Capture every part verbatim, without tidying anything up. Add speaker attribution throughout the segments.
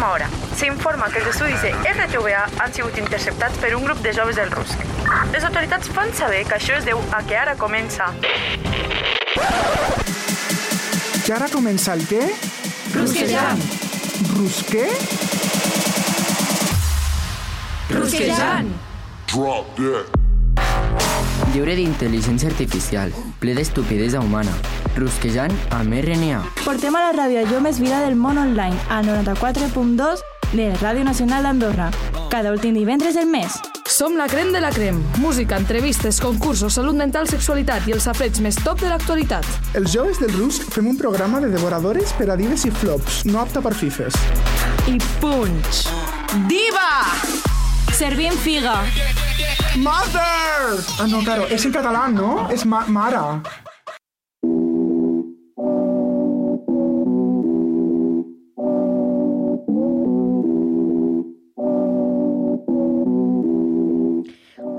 Speaker 1: última hora. S'informa que els estudis de R T V A han sigut interceptats per un grup de joves del Rusk. Les autoritats fan saber que això es deu a que ara comença...
Speaker 2: Que ara comença el què?
Speaker 3: Rusquejant.
Speaker 2: Rusqué?
Speaker 3: Rusquejant.
Speaker 4: Drop that.
Speaker 5: Lliure d'intel·ligència artificial, ple d'estupidesa humana, rusquejant amb R N A.
Speaker 6: Portem a la ràdio allò més vida del món online, al noranta-quatre punt dos de Ràdio Nacional d'Andorra, cada últim divendres del mes.
Speaker 3: Som la crem de la crem. Música, entrevistes, concursos, salut mental, sexualitat i els safareig més top de l'actualitat.
Speaker 2: Els joves del Rusk fem un programa de devoradores per a dives i flops, no apta per fifes.
Speaker 6: I punch!
Speaker 3: Diva!
Speaker 6: Servim figa.
Speaker 2: Mother! Ah, no, claro, és en català, no? És ma mare.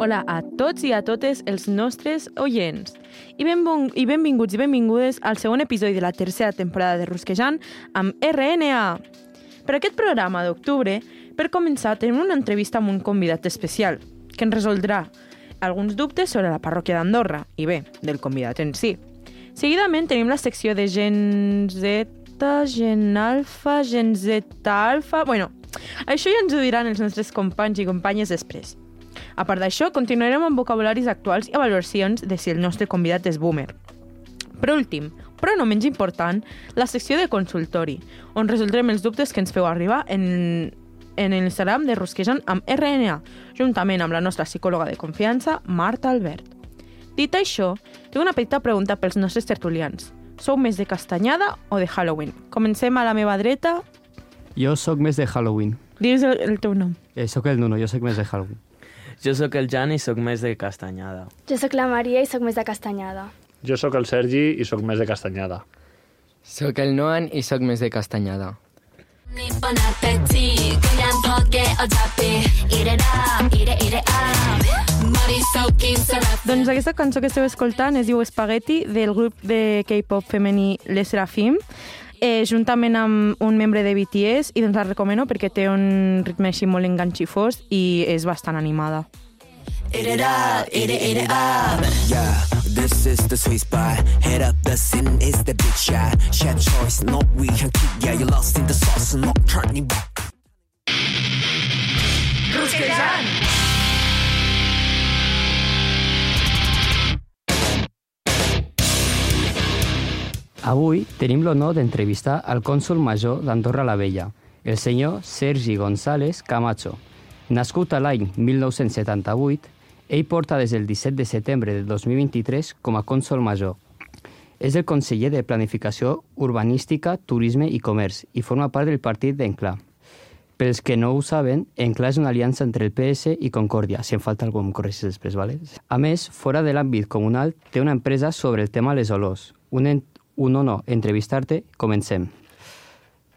Speaker 7: Hola a tots i a totes els nostres oients i, benvong i benvinguts i benvingudes al segon episodi de la tercera temporada de Rusquejant amb R N A. Per aquest programa d'octubre, per començar, tenim una entrevista amb un convidat especial que ens resoldrà alguns dubtes sobre la parròquia d'Andorra i bé, del convidat en si. Seguidament tenim la secció de Gen Z, Gen Alfa, Gen Z Alfa... Bueno, això ja ens ho diran els nostres companys i companyes després. A part d'això, continuarem amb vocabularis actuals i avaluacions de si el nostre convidat és boomer. Per últim, però no menys important, la secció de consultori, on resoldrem els dubtes que ens feu arribar en, en l'Instagram de Rusquejant amb R N A, juntament amb la nostra psicòloga de confiança, Marta Albert. Dit això, tinc una petita pregunta pels nostres tertulians. Sou més de castanyada o de Halloween? Comencem a la meva dreta.
Speaker 8: Jo sóc més de Halloween.
Speaker 7: Digues el, el teu nom.
Speaker 8: Eh, soc el Nuno, jo sóc més de Halloween.
Speaker 9: Jo sóc el Jan i sóc més de castanyada.
Speaker 10: Jo sóc la Maria i sóc més de castanyada.
Speaker 11: Jo sóc el Sergi i sóc més de castanyada.
Speaker 5: Soc el Noan i sóc més de castanyada.
Speaker 7: Doncs aquesta cançó que esteu escoltant es diu Spaghetti, del grup de K-pop femení Les Serafim, eh, juntament amb un membre de B T S, i doncs la recomano perquè té un ritme així molt enganxifós i és bastant animada.
Speaker 12: Eat it up, eat it, eat it up. Yeah, this is the sweet spot. Head up, the sin is the big shot. Chef choice, no we can keep. Yeah, you lost in the sauce, not turning back.
Speaker 3: Rusquejant!
Speaker 8: Avui tenim l'honor d'entrevistar al cònsol major d'Andorra la Vella, el senyor Sergi González Camacho. Nascut a l'any mil nou-cents setanta-vuit, ell porta des del disset de setembre del dos mil vint-i-tres com a cònsol major. És el conseller de Planificació Urbanística, Turisme i Comerç i forma part del partit d'Enclà. Pels que no ho saben, Enclà és una aliança entre el P S i Concòrdia. Si em falta algú em corregis després, ¿vale? A més, fora de l'àmbit comunal, té una empresa sobre el tema les olors. Un, en... un honor entrevistar-te. Comencem.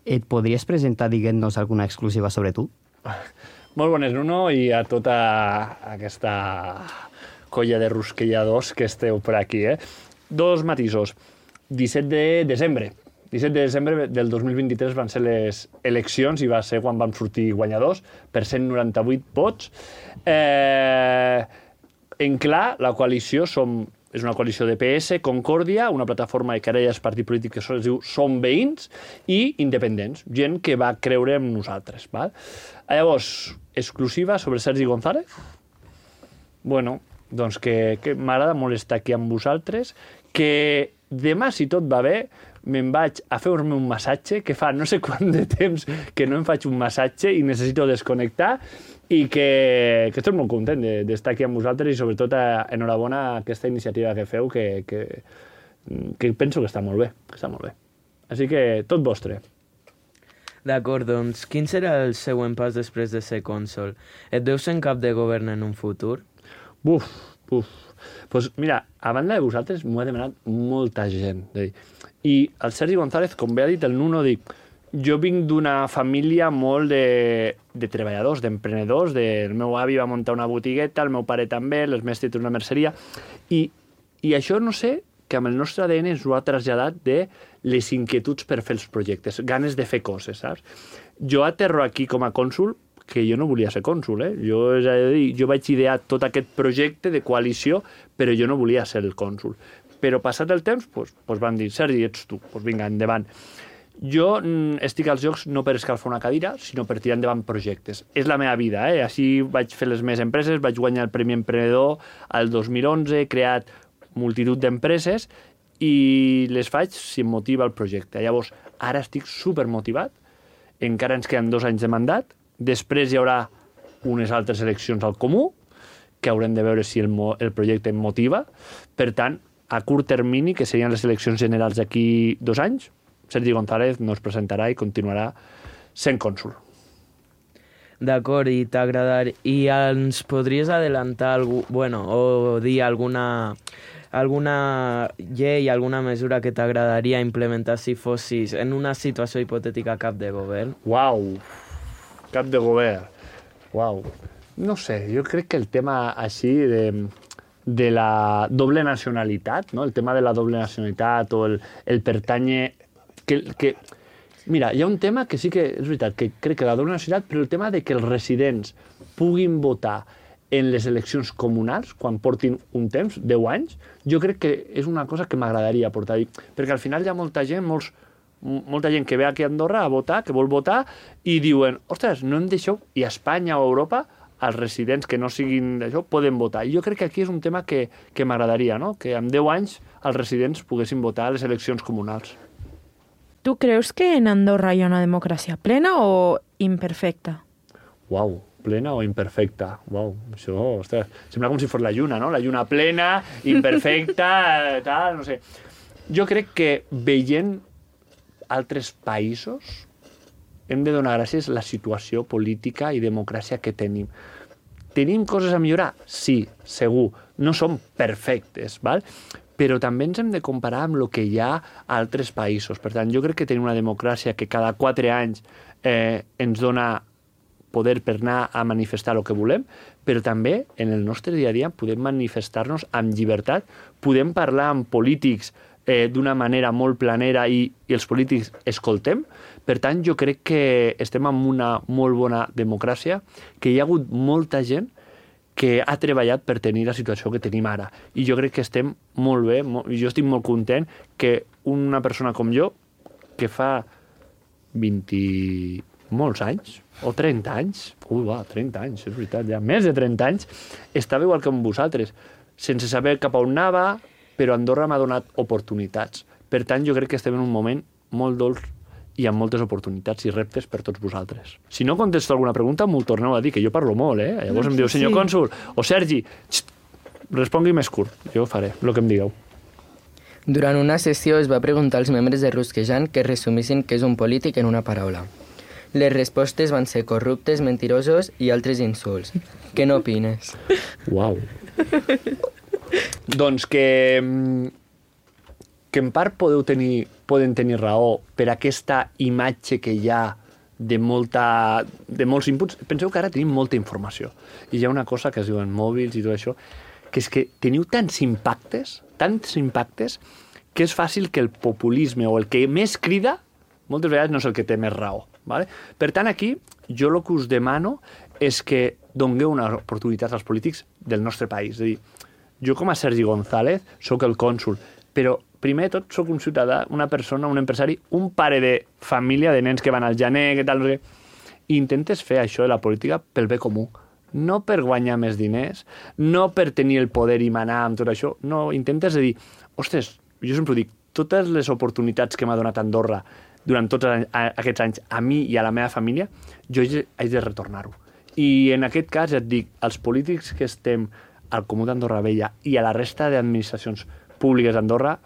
Speaker 8: Et podries presentar dient-nos alguna exclusiva sobre tu?
Speaker 11: Molt bones, Nuno, i a tota aquesta colla de rusquelladors que esteu per aquí. Eh? Dos matisos. disset de desembre. disset de desembre del dos mil vint-i-tres van ser les eleccions i va ser quan vam sortir guanyadors per cent noranta-vuit vots. Eh, en clar, la coalició som, és una coalició de P S, Concòrdia, una plataforma que ara ja és partit polític que es diu Som Veïns, i independents, gent que va creure en nosaltres. Val? Llavors, exclusiva sobre Sergi González. Bueno, doncs que, que m'agrada molt estar aquí amb vosaltres, que demà, si tot va bé, me'n vaig a fer-me un massatge, que fa no sé quant de temps que no em faig un massatge i necessito desconnectar, i que, que estic molt content d'estar aquí amb vosaltres i sobretot enhorabona a aquesta iniciativa que feu, que, que, que penso que està molt bé, que està molt bé. Així que tot vostre.
Speaker 9: D'acord, doncs, quin serà el següent pas després de ser cònsol? Et veus en cap de govern en un futur?
Speaker 11: Buf, buf. Pues mira, a banda de vosaltres m'ho ha demanat molta gent. I el Sergi González, com bé ha dit el Nuno, dic, jo vinc d'una família molt de, de treballadors, d'emprenedors. De, el meu avi va muntar una botigueta, el meu pare també, les meves té una merceria. I, I això no sé que amb el nostre A D N ens ho ha traslladat de les inquietuds per fer els projectes, ganes de fer coses, saps? Jo aterro aquí com a cònsul, que jo no volia ser cònsul, eh? Jo, és a dir, jo vaig idear tot aquest projecte de coalició, però jo no volia ser el cònsul. Però passat el temps, doncs, doncs van dir, Sergi, ets tu, doncs vinga, endavant. Jo mm, estic als jocs no per escalfar una cadira, sinó per tirar endavant projectes. És la meva vida, eh? Així vaig fer les meves empreses, vaig guanyar el Premi Emprenedor al dos mil onze, he creat multitud d'empreses i les faig si em motiva el projecte. Llavors, ara estic supermotivat, encara ens queden dos anys de mandat, després hi haurà unes altres eleccions al comú, que haurem de veure si el, el projecte em motiva. Per tant, a curt termini, que serien les eleccions generals d'aquí dos anys, Sergi González no es presentarà i continuarà sent cònsul.
Speaker 9: D'acord, i t'agradar... I ens podries adelantar algú, bueno, o dir alguna, alguna llei, alguna mesura que t'agradaria implementar si fossis en una situació hipotètica cap de govern?
Speaker 11: Uau, cap de govern. Uau. No sé, jo crec que el tema així de, de la doble nacionalitat, no? El tema de la doble nacionalitat o el, el pertànyer... Que, que, mira, hi ha un tema que sí que és veritat, que crec que la doble nacionalitat, però el tema de que els residents puguin votar en les eleccions comunals, quan portin un temps, deu anys, jo crec que és una cosa que m'agradaria portar. Perquè al final hi ha molta gent, molts, molta gent que ve aquí a Andorra a votar, que vol votar, i diuen, ostres, no em deixeu, i a Espanya o a Europa, els residents que no siguin d'això poden votar. I jo crec que aquí és un tema que, que m'agradaria, no? Que en deu anys els residents poguessin votar a les eleccions comunals.
Speaker 7: Tu creus que en Andorra hi ha una democràcia plena o imperfecta?
Speaker 11: Uau, plena o imperfecta? Uau, això, ostres, sembla com si fos la lluna, no? La lluna plena, imperfecta, tal, no sé. Jo crec que veient altres països hem de donar gràcies a la situació política i democràcia que tenim. Tenim coses a millorar? Sí, segur. No som perfectes, val? Però també ens hem de comparar amb el que hi ha a altres països. Per tant, jo crec que tenim una democràcia que cada quatre anys eh, ens dona poder per anar a manifestar el que volem, però també en el nostre dia a dia podem manifestar-nos amb llibertat, podem parlar amb polítics eh, d'una manera molt planera i, i els polítics escoltem. Per tant, jo crec que estem en una molt bona democràcia, que hi ha hagut molta gent que ha treballat per tenir la situació que tenim ara. I jo crec que estem molt bé, molt, jo estic molt content que una persona com jo, que fa vint molts anys, o trenta anys, ui, va, trenta anys, és veritat, ja més de trenta anys, estava igual que amb vosaltres, sense saber cap a on anava, però Andorra m'ha donat oportunitats. Per tant, jo crec que estem en un moment molt dolç i amb moltes oportunitats i reptes per tots vosaltres. Si no contesto alguna pregunta, m'ho torneu a dir, que jo parlo molt, eh? Llavors em diu, senyor sí. cònsul, o Sergi, xt, respongui més curt. Jo faré el que em digueu.
Speaker 5: Durant una sessió es va preguntar als membres de Rusquejant que resumissin què és un polític en una paraula. Les respostes van ser corruptes, mentirosos i altres insults. Què n'opines?
Speaker 11: Uau. Doncs que... que en part podeu tenir, poden tenir raó per aquesta imatge que hi ha de, molta, de molts inputs. Penseu que ara tenim molta informació. I hi ha una cosa que es diuen mòbils i tot això, que és que teniu tants impactes, tants impactes, que és fàcil que el populisme o el que més crida, moltes vegades no és el que té més raó. Vale? Per tant, aquí, jo el que us demano és que dongueu una oportunitat als polítics del nostre país. És a dir, jo com a Sergi González soc el cònsul, però primer de tot soc un ciutadà, una persona, un empresari, un pare de família, de nens que van al gener, que tal, no sé. I intentes fer això de la política pel bé comú. No per guanyar més diners, no per tenir el poder i manar amb tot això. No, intentes dir, ostres, jo sempre ho dic, totes les oportunitats que m'ha donat Andorra durant tots aquests anys a mi i a la meva família, jo haig de retornar-ho. I en aquest cas et dic, els polítics que estem al Comú d'Andorra Vella i a la resta d'administracions públiques d'Andorra,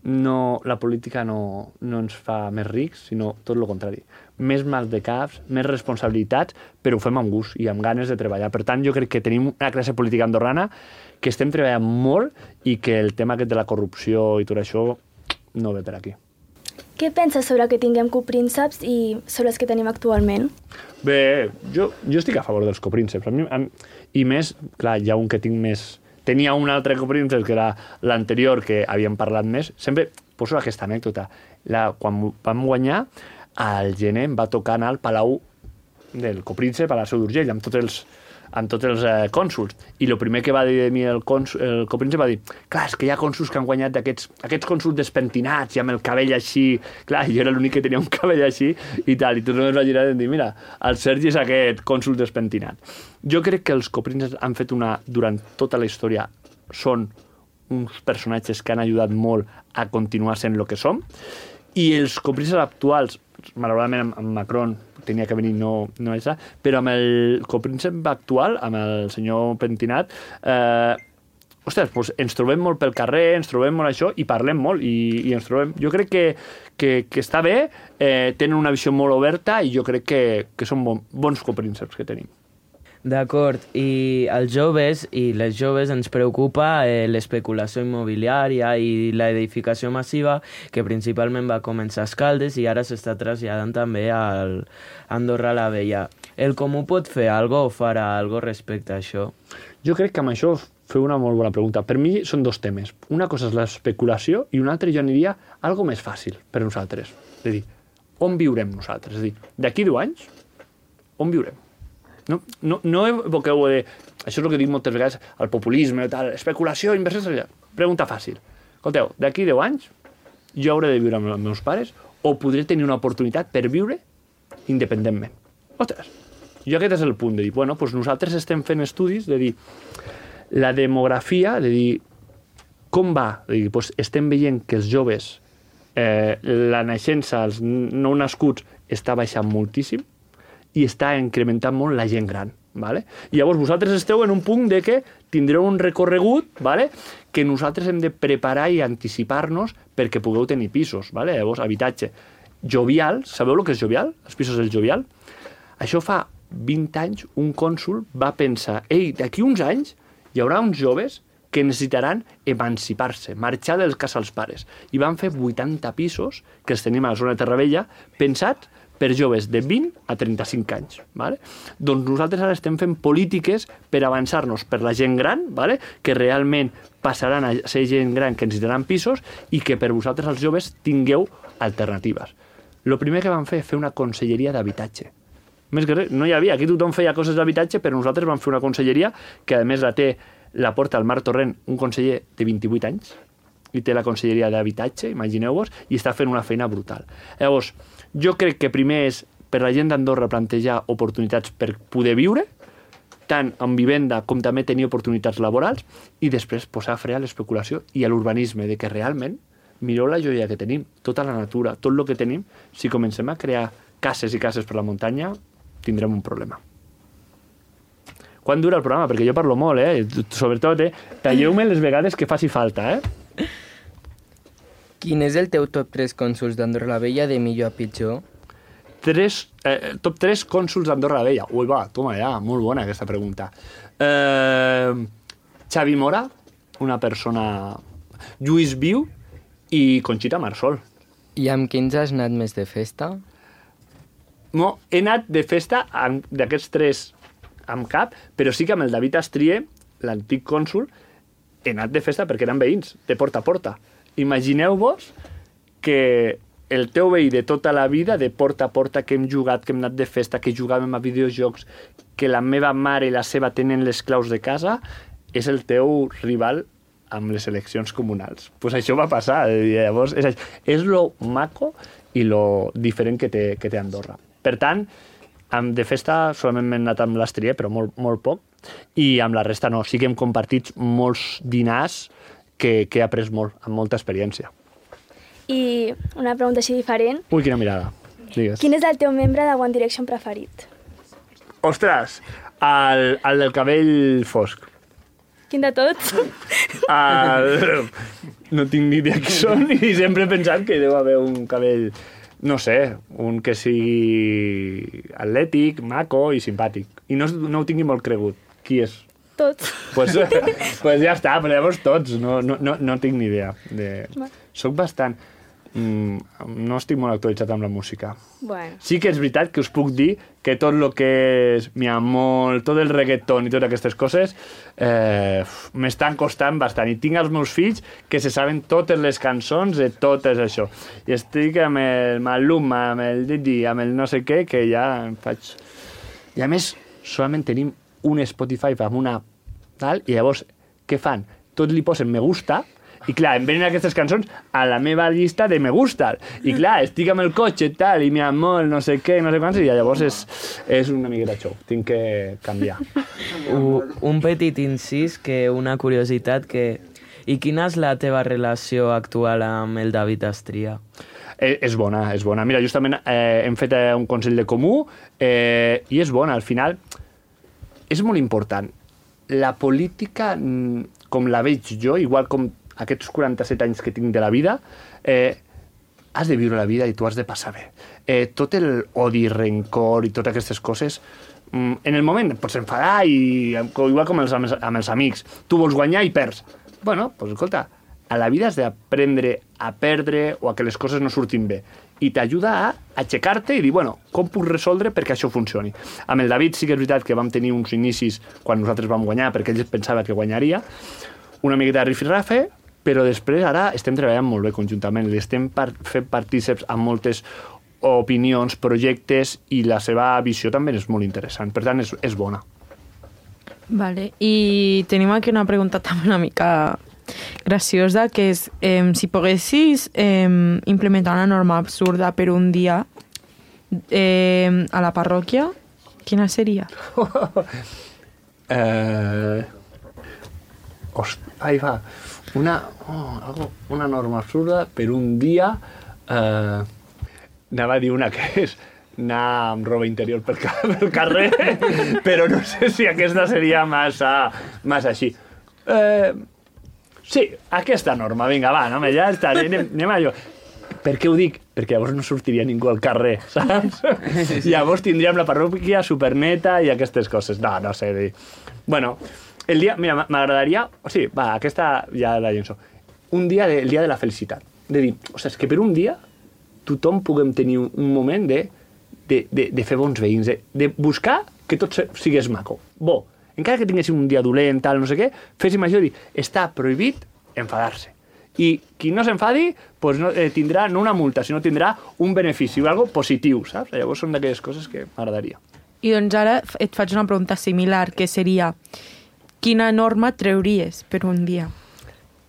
Speaker 11: no, la política no, no ens fa més rics, sinó tot el contrari. Més mal de caps, més responsabilitats, però ho fem amb gust i amb ganes de treballar. Per tant, jo crec que tenim una classe política andorrana que estem treballant molt i que el tema aquest de la corrupció i tot això no ve per aquí.
Speaker 10: Què penses sobre que tinguem coprínceps i sobre els que tenim actualment?
Speaker 11: Bé, jo, jo estic a favor dels coprínceps. A mi, a, I més, clar, hi ha un que tinc més, tenia un altre copríncep, que era l'anterior, que havíem parlat més. Sempre poso aquesta anècdota. La, quan vam guanyar, al gener em va tocar anar al Palau del Copríncep, a la Seu d'Urgell, amb tots els, amb tots els eh, cònsuls. I el primer que va dir de mi el, cònsul, el Copríncep va dir, clar, és que hi ha cònsuls que han guanyat d'aquests aquests cònsuls despentinats i amb el cabell així. Clar, jo era l'únic que tenia un cabell així i tal. I tots només va girar i dir, mira, el Sergi és aquest cònsul despentinat. Jo crec que els Coprínceps han fet una... Durant tota la història són uns personatges que han ajudat molt a continuar sent el que som. I els Coprínceps actuals, malauradament amb Macron tenia que venir, no, no és, però amb el copríncep actual, amb el senyor Pentinat, eh, ostres, doncs ens trobem molt pel carrer, ens trobem molt això, i parlem molt, i, i ens trobem... Jo crec que, que, que està bé, eh, tenen una visió molt oberta, i jo crec que, que són bon, bons coprínceps que tenim.
Speaker 9: D'acord, i els joves i les joves ens preocupa eh, l'especulació immobiliària i l'edificació massiva, que principalment va començar a Escaldes i ara s'està traslladant també al Andorra la Vella. El Comú pot fer alguna cosa o farà alguna cosa respecte a això?
Speaker 11: Jo crec que amb això feu una molt bona pregunta. Per mi són dos temes. Una cosa és l'especulació i una altra jo aniria algo més fàcil per nosaltres. És a dir, on viurem nosaltres? És a dir, d'aquí deu anys, on viurem? No, no, no evoqueu de... Això és el que dic moltes vegades, el populisme, tal, especulació, inversió... Pregunta fàcil. Escolteu, d'aquí deu anys jo hauré de viure amb els meus pares o podré tenir una oportunitat per viure independentment. Ostres, jo aquest és el punt de dir, bueno, doncs nosaltres estem fent estudis de dir la demografia, de dir com va, de dir, doncs estem veient que els joves, eh, la naixença, els no nascuts, està baixant moltíssim, i està incrementant molt la gent gran. Vale? I llavors vosaltres esteu en un punt de que tindreu un recorregut, vale? Que nosaltres hem de preparar i anticipar-nos perquè pugueu tenir pisos. Vale? Llavors, habitatge. Jovial, sabeu el que és Jovial? Els pisos del Jovial? Això fa vint anys un cònsul va pensar, ei, d'aquí uns anys hi haurà uns joves que necessitaran emancipar-se, marxar dels casa als pares. I van fer vuitanta pisos, que els tenim a la zona de Terravella, pensats per joves de vint a trenta-cinc anys. Vale? Doncs nosaltres ara estem fent polítiques per avançar-nos per la gent gran, vale? Que realment passaran a ser gent gran que necessitaran pisos i que per vosaltres els joves tingueu alternatives. El primer que vam fer és fer una conselleria d'habitatge. Més que res, no hi havia, aquí tothom feia coses d'habitatge, però nosaltres vam fer una conselleria que a més la té, la porta el Marc Torrent, un conseller de vint-i-vuit anys, i té la conselleria d'habitatge, imagineu-vos, i està fent una feina brutal. Llavors, jo crec que primer és per la gent d'Andorra plantejar oportunitats per poder viure, tant en vivenda com també tenir oportunitats laborals, i després posar fre a l'especulació i a l'urbanisme, de que realment, mireu la joia que tenim, tota la natura, tot el que tenim, si comencem a crear cases i cases per la muntanya, tindrem un problema. Quan dura el programa? Perquè jo parlo molt, eh? Sobretot, eh? Talleu-me les vegades que faci falta, eh?
Speaker 5: Quin és el teu top tres cònsuls d'Andorra la Vella de millor a pitjor?
Speaker 11: Tres, eh, top tres cònsuls d'Andorra la Vella. Ui, va, toma ja, molt bona aquesta pregunta. Eh, Xavi Mora, una persona... Lluís Viu i Conxita Marsol.
Speaker 5: I amb quins has anat més de festa?
Speaker 11: No, he anat de festa d'aquests tres amb cap, però sí que amb el David Astrier, l'antic cònsul, he anat de festa perquè eren veïns, de porta a porta. Imagineu-vos que el teu veí de tota la vida, de porta a porta, que hem jugat, que hem anat de festa, que jugàvem a videojocs, que la meva mare i la seva tenen les claus de casa, és el teu rival amb les eleccions comunals. Doncs pues això va passar. Llavors, és, és lo maco i lo diferent que té, que té Andorra. Per tant, de festa solament m'he anat amb l'Astrier, però molt, molt poc, i amb la resta no. Sí que hem compartit molts dinars que, que he après molt, amb molta experiència.
Speaker 10: I una pregunta així diferent.
Speaker 11: Ui, quina mirada. Digues.
Speaker 10: Quin és el teu membre de One Direction preferit?
Speaker 11: Ostres, el, el del cabell fosc.
Speaker 10: Quin de tots?
Speaker 11: El... No tinc ni idea qui són i sempre he pensat que deu haver un cabell, no sé, un que sigui atlètic, maco i simpàtic. I no, no ho tingui molt cregut. Qui és?
Speaker 10: Tots.
Speaker 11: Pues, pues ja està, però llavors tots. No, no, no, no tinc ni idea. De... Soc bastant... mm, no estic molt actualitzat amb la música.
Speaker 10: Bueno.
Speaker 11: Sí que és veritat que us puc dir que tot el que és mi amor, tot el reggaeton i totes aquestes coses eh, m'estan costant bastant. I tinc els meus fills que se saben totes les cançons de totes això. I estic amb el Maluma, amb el Didi, amb el no sé què, que ja em faig... I a més, solament tenim un Spotify amb una tal, i llavors, què fan? Tots li posen me gusta, i clar, em venen aquestes cançons a la meva llista de me gusta. I clar, estic amb el cotxe tal, i mi amor, no sé què, no sé quants, i llavors és, és una miqueta xou. Tinc que canviar.
Speaker 9: Un, un petit incís, que una curiositat, que... I quina és la teva relació actual amb el David Astria?
Speaker 11: Eh, és bona, és bona. Mira, justament eh, hem fet eh, un consell de comú eh, i és bona. Al final, és molt important. La política, com la veig jo, igual com aquests quaranta-set anys que tinc de la vida, eh, has de viure la vida i tu has de passar bé. Eh, tot el odi, rencor i totes aquestes coses, mm, en el moment pots enfadar, i igual com els, amb, els, amb els amics. Tu vols guanyar i perds. Bueno, doncs escolta, a la vida has d'aprendre a perdre o a que les coses no surtin bé. I t'ajuda a aixecar-te i dir, bueno, com puc resoldre perquè això funcioni. Amb el David sí que és veritat que vam tenir uns inicis quan nosaltres vam guanyar, perquè ell pensava que guanyaria, una miqueta de rifirrafe, però després ara estem treballant molt bé conjuntament, li estem par fent partíceps amb moltes opinions, projectes, i la seva visió també és molt interessant, per tant és, és bona.
Speaker 7: Vale, i tenim aquí una pregunta també una mica graciosa, que és eh, si poguessis eh, implementar una norma absurda per un dia eh, a la parròquia, quina seria?
Speaker 11: eh... Host... Ahí va. Una, oh, algo, una norma absurda per un dia. Eh, anava a dir una que és anar amb roba interior pel, pel carrer, però no sé si aquesta seria massa, massa així. Eh, sí, aquesta norma, vinga, va, no, ja està, anem, anem a allò. Per què ho dic? Perquè llavors no sortiria ningú al carrer, saps? Sí, sí. Llavors tindríem la parròquia superneta i aquestes coses. No, no sé dir. Bueno, el dia, mira, m'agradaria... O sigui, va, aquesta ja la llenço. Un dia, de, el dia de la felicitat. De dir, o sigui, és que per un dia tothom puguem tenir un, un moment de, de, de, de fer bons veïns, de, de buscar que tot sigués maco. Bo, encara que tinguéssim un dia dolent, tal, no sé què, féssim això i dir, està prohibit enfadar-se. I qui no s'enfadi pues no, eh, tindrà no una multa, sinó tindrà un benefici, o algo positiu, saps? Llavors són d'aquelles coses que m'agradaria.
Speaker 7: I doncs ara et faig una pregunta similar, que seria, quina norma treuries per un dia?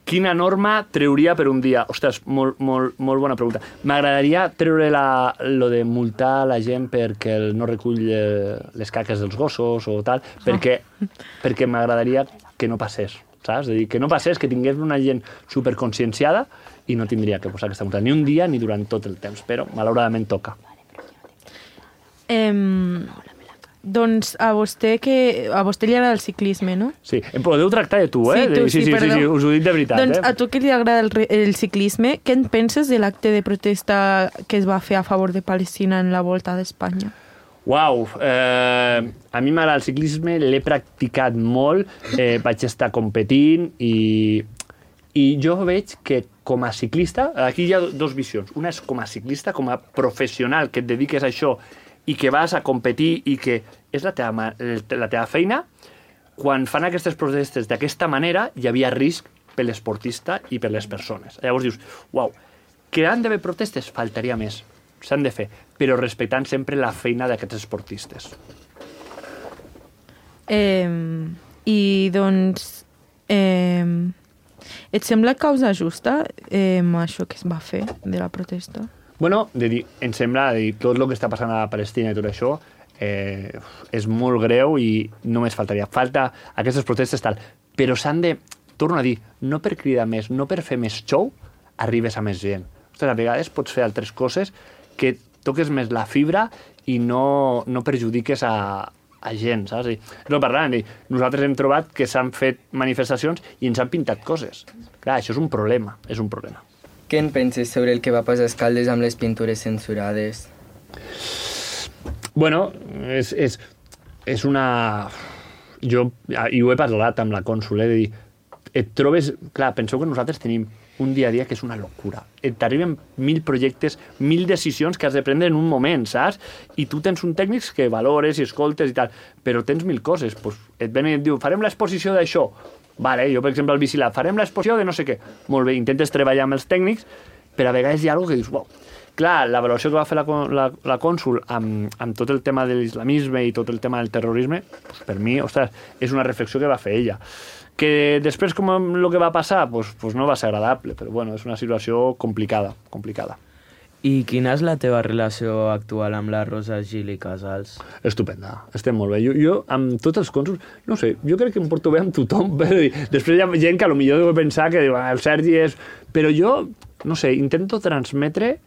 Speaker 11: Quina norma treuria per un dia? Ostres, molt, molt, molt bona pregunta. M'agradaria treure la, lo de multar la gent perquè no recull eh, les caques dels gossos o tal, perquè, oh. perquè m'agradaria que no passés, saps? És a dir, que no passés, que tingués una gent superconscienciada i no tindria que posar aquesta multa ni un dia ni durant tot el temps, però malauradament toca.
Speaker 7: Eh, doncs a vostè, que, a vostè li agrada el ciclisme, no?
Speaker 11: Sí, em podeu tractar de tu, eh?
Speaker 7: Sí, tu, sí,
Speaker 11: sí, sí, sí, sí, us ho dic de veritat.
Speaker 7: Doncs
Speaker 11: eh?
Speaker 7: a tu que li agrada el, el ciclisme, què en penses de l'acte de protesta que es va fer a favor de Palestina en la Volta d'Espanya?
Speaker 11: Uau, eh, a mi m'agrada el ciclisme, l'he practicat molt, eh, vaig estar competint i, i jo veig que com a ciclista, aquí hi ha dos visions. Una és com a ciclista, com a professional que et dediques a això i que vas a competir i que és la teva, la teva feina. Quan fan aquestes protestes d'aquesta manera, hi havia risc per l'esportista i per les persones. Llavors dius, uau, que han d'haver protestes? Faltaria més. S'han de fer, però respectant sempre la feina d'aquests esportistes.
Speaker 7: Eh, I doncs, eh, et sembla causa justa eh, això que es va fer de la protesta?
Speaker 11: Bueno, de dir, em sembla de dir, tot el que està passant a Palestina i tot això eh, és molt greu i només faltaria. Falta aquestes protestes tal, però s'han de, torno a dir, no per cridar més, no per fer més show, arribes a més gent. Ostres, a vegades pots fer altres coses que toques més la fibra i no, no perjudiques a, a gent, saps? No parlant, nosaltres hem trobat que s'han fet manifestacions i ens han pintat coses. Clar, això és un problema, és un problema.
Speaker 5: Què en penses sobre el que va passar a Escaldes amb les pintures censurades?
Speaker 11: Bueno, és, és, és una... Jo, i ho he parlat amb la cònsol, eh, de dir, et trobes... Clar, penseu que nosaltres tenim un dia a dia que és una locura. T'arriben mil projectes, mil decisions que has de prendre en un moment, saps? I tu tens un tècnic que valores i escoltes i tal, però tens mil coses. Pues et ven i et diu, farem l'exposició d'això. Vale, jo, per exemple, al Bicilab, farem l'exposició de no sé què. Molt bé, intentes treballar amb els tècnics, però a vegades hi ha alguna que dius, uau. Clar, la valoració que va fer la, la, la cònsul amb, amb tot el tema de l'islamisme i tot el tema del terrorisme, pues per mi, ostres, és una reflexió que va fer ella. Que després, com el que va passar, pues, pues no va ser agradable, però bueno, és una situació complicada, complicada.
Speaker 9: I quina és la teva relació actual amb la Rosa Gil i Casals?
Speaker 11: Estupenda, estem molt bé. Jo, jo amb tots els cònsuls, no sé, jo crec que em porto bé amb tothom, però després hi ha gent que potser deu pensar que diu, ah, el Sergi és... Però jo, no sé, intento transmetre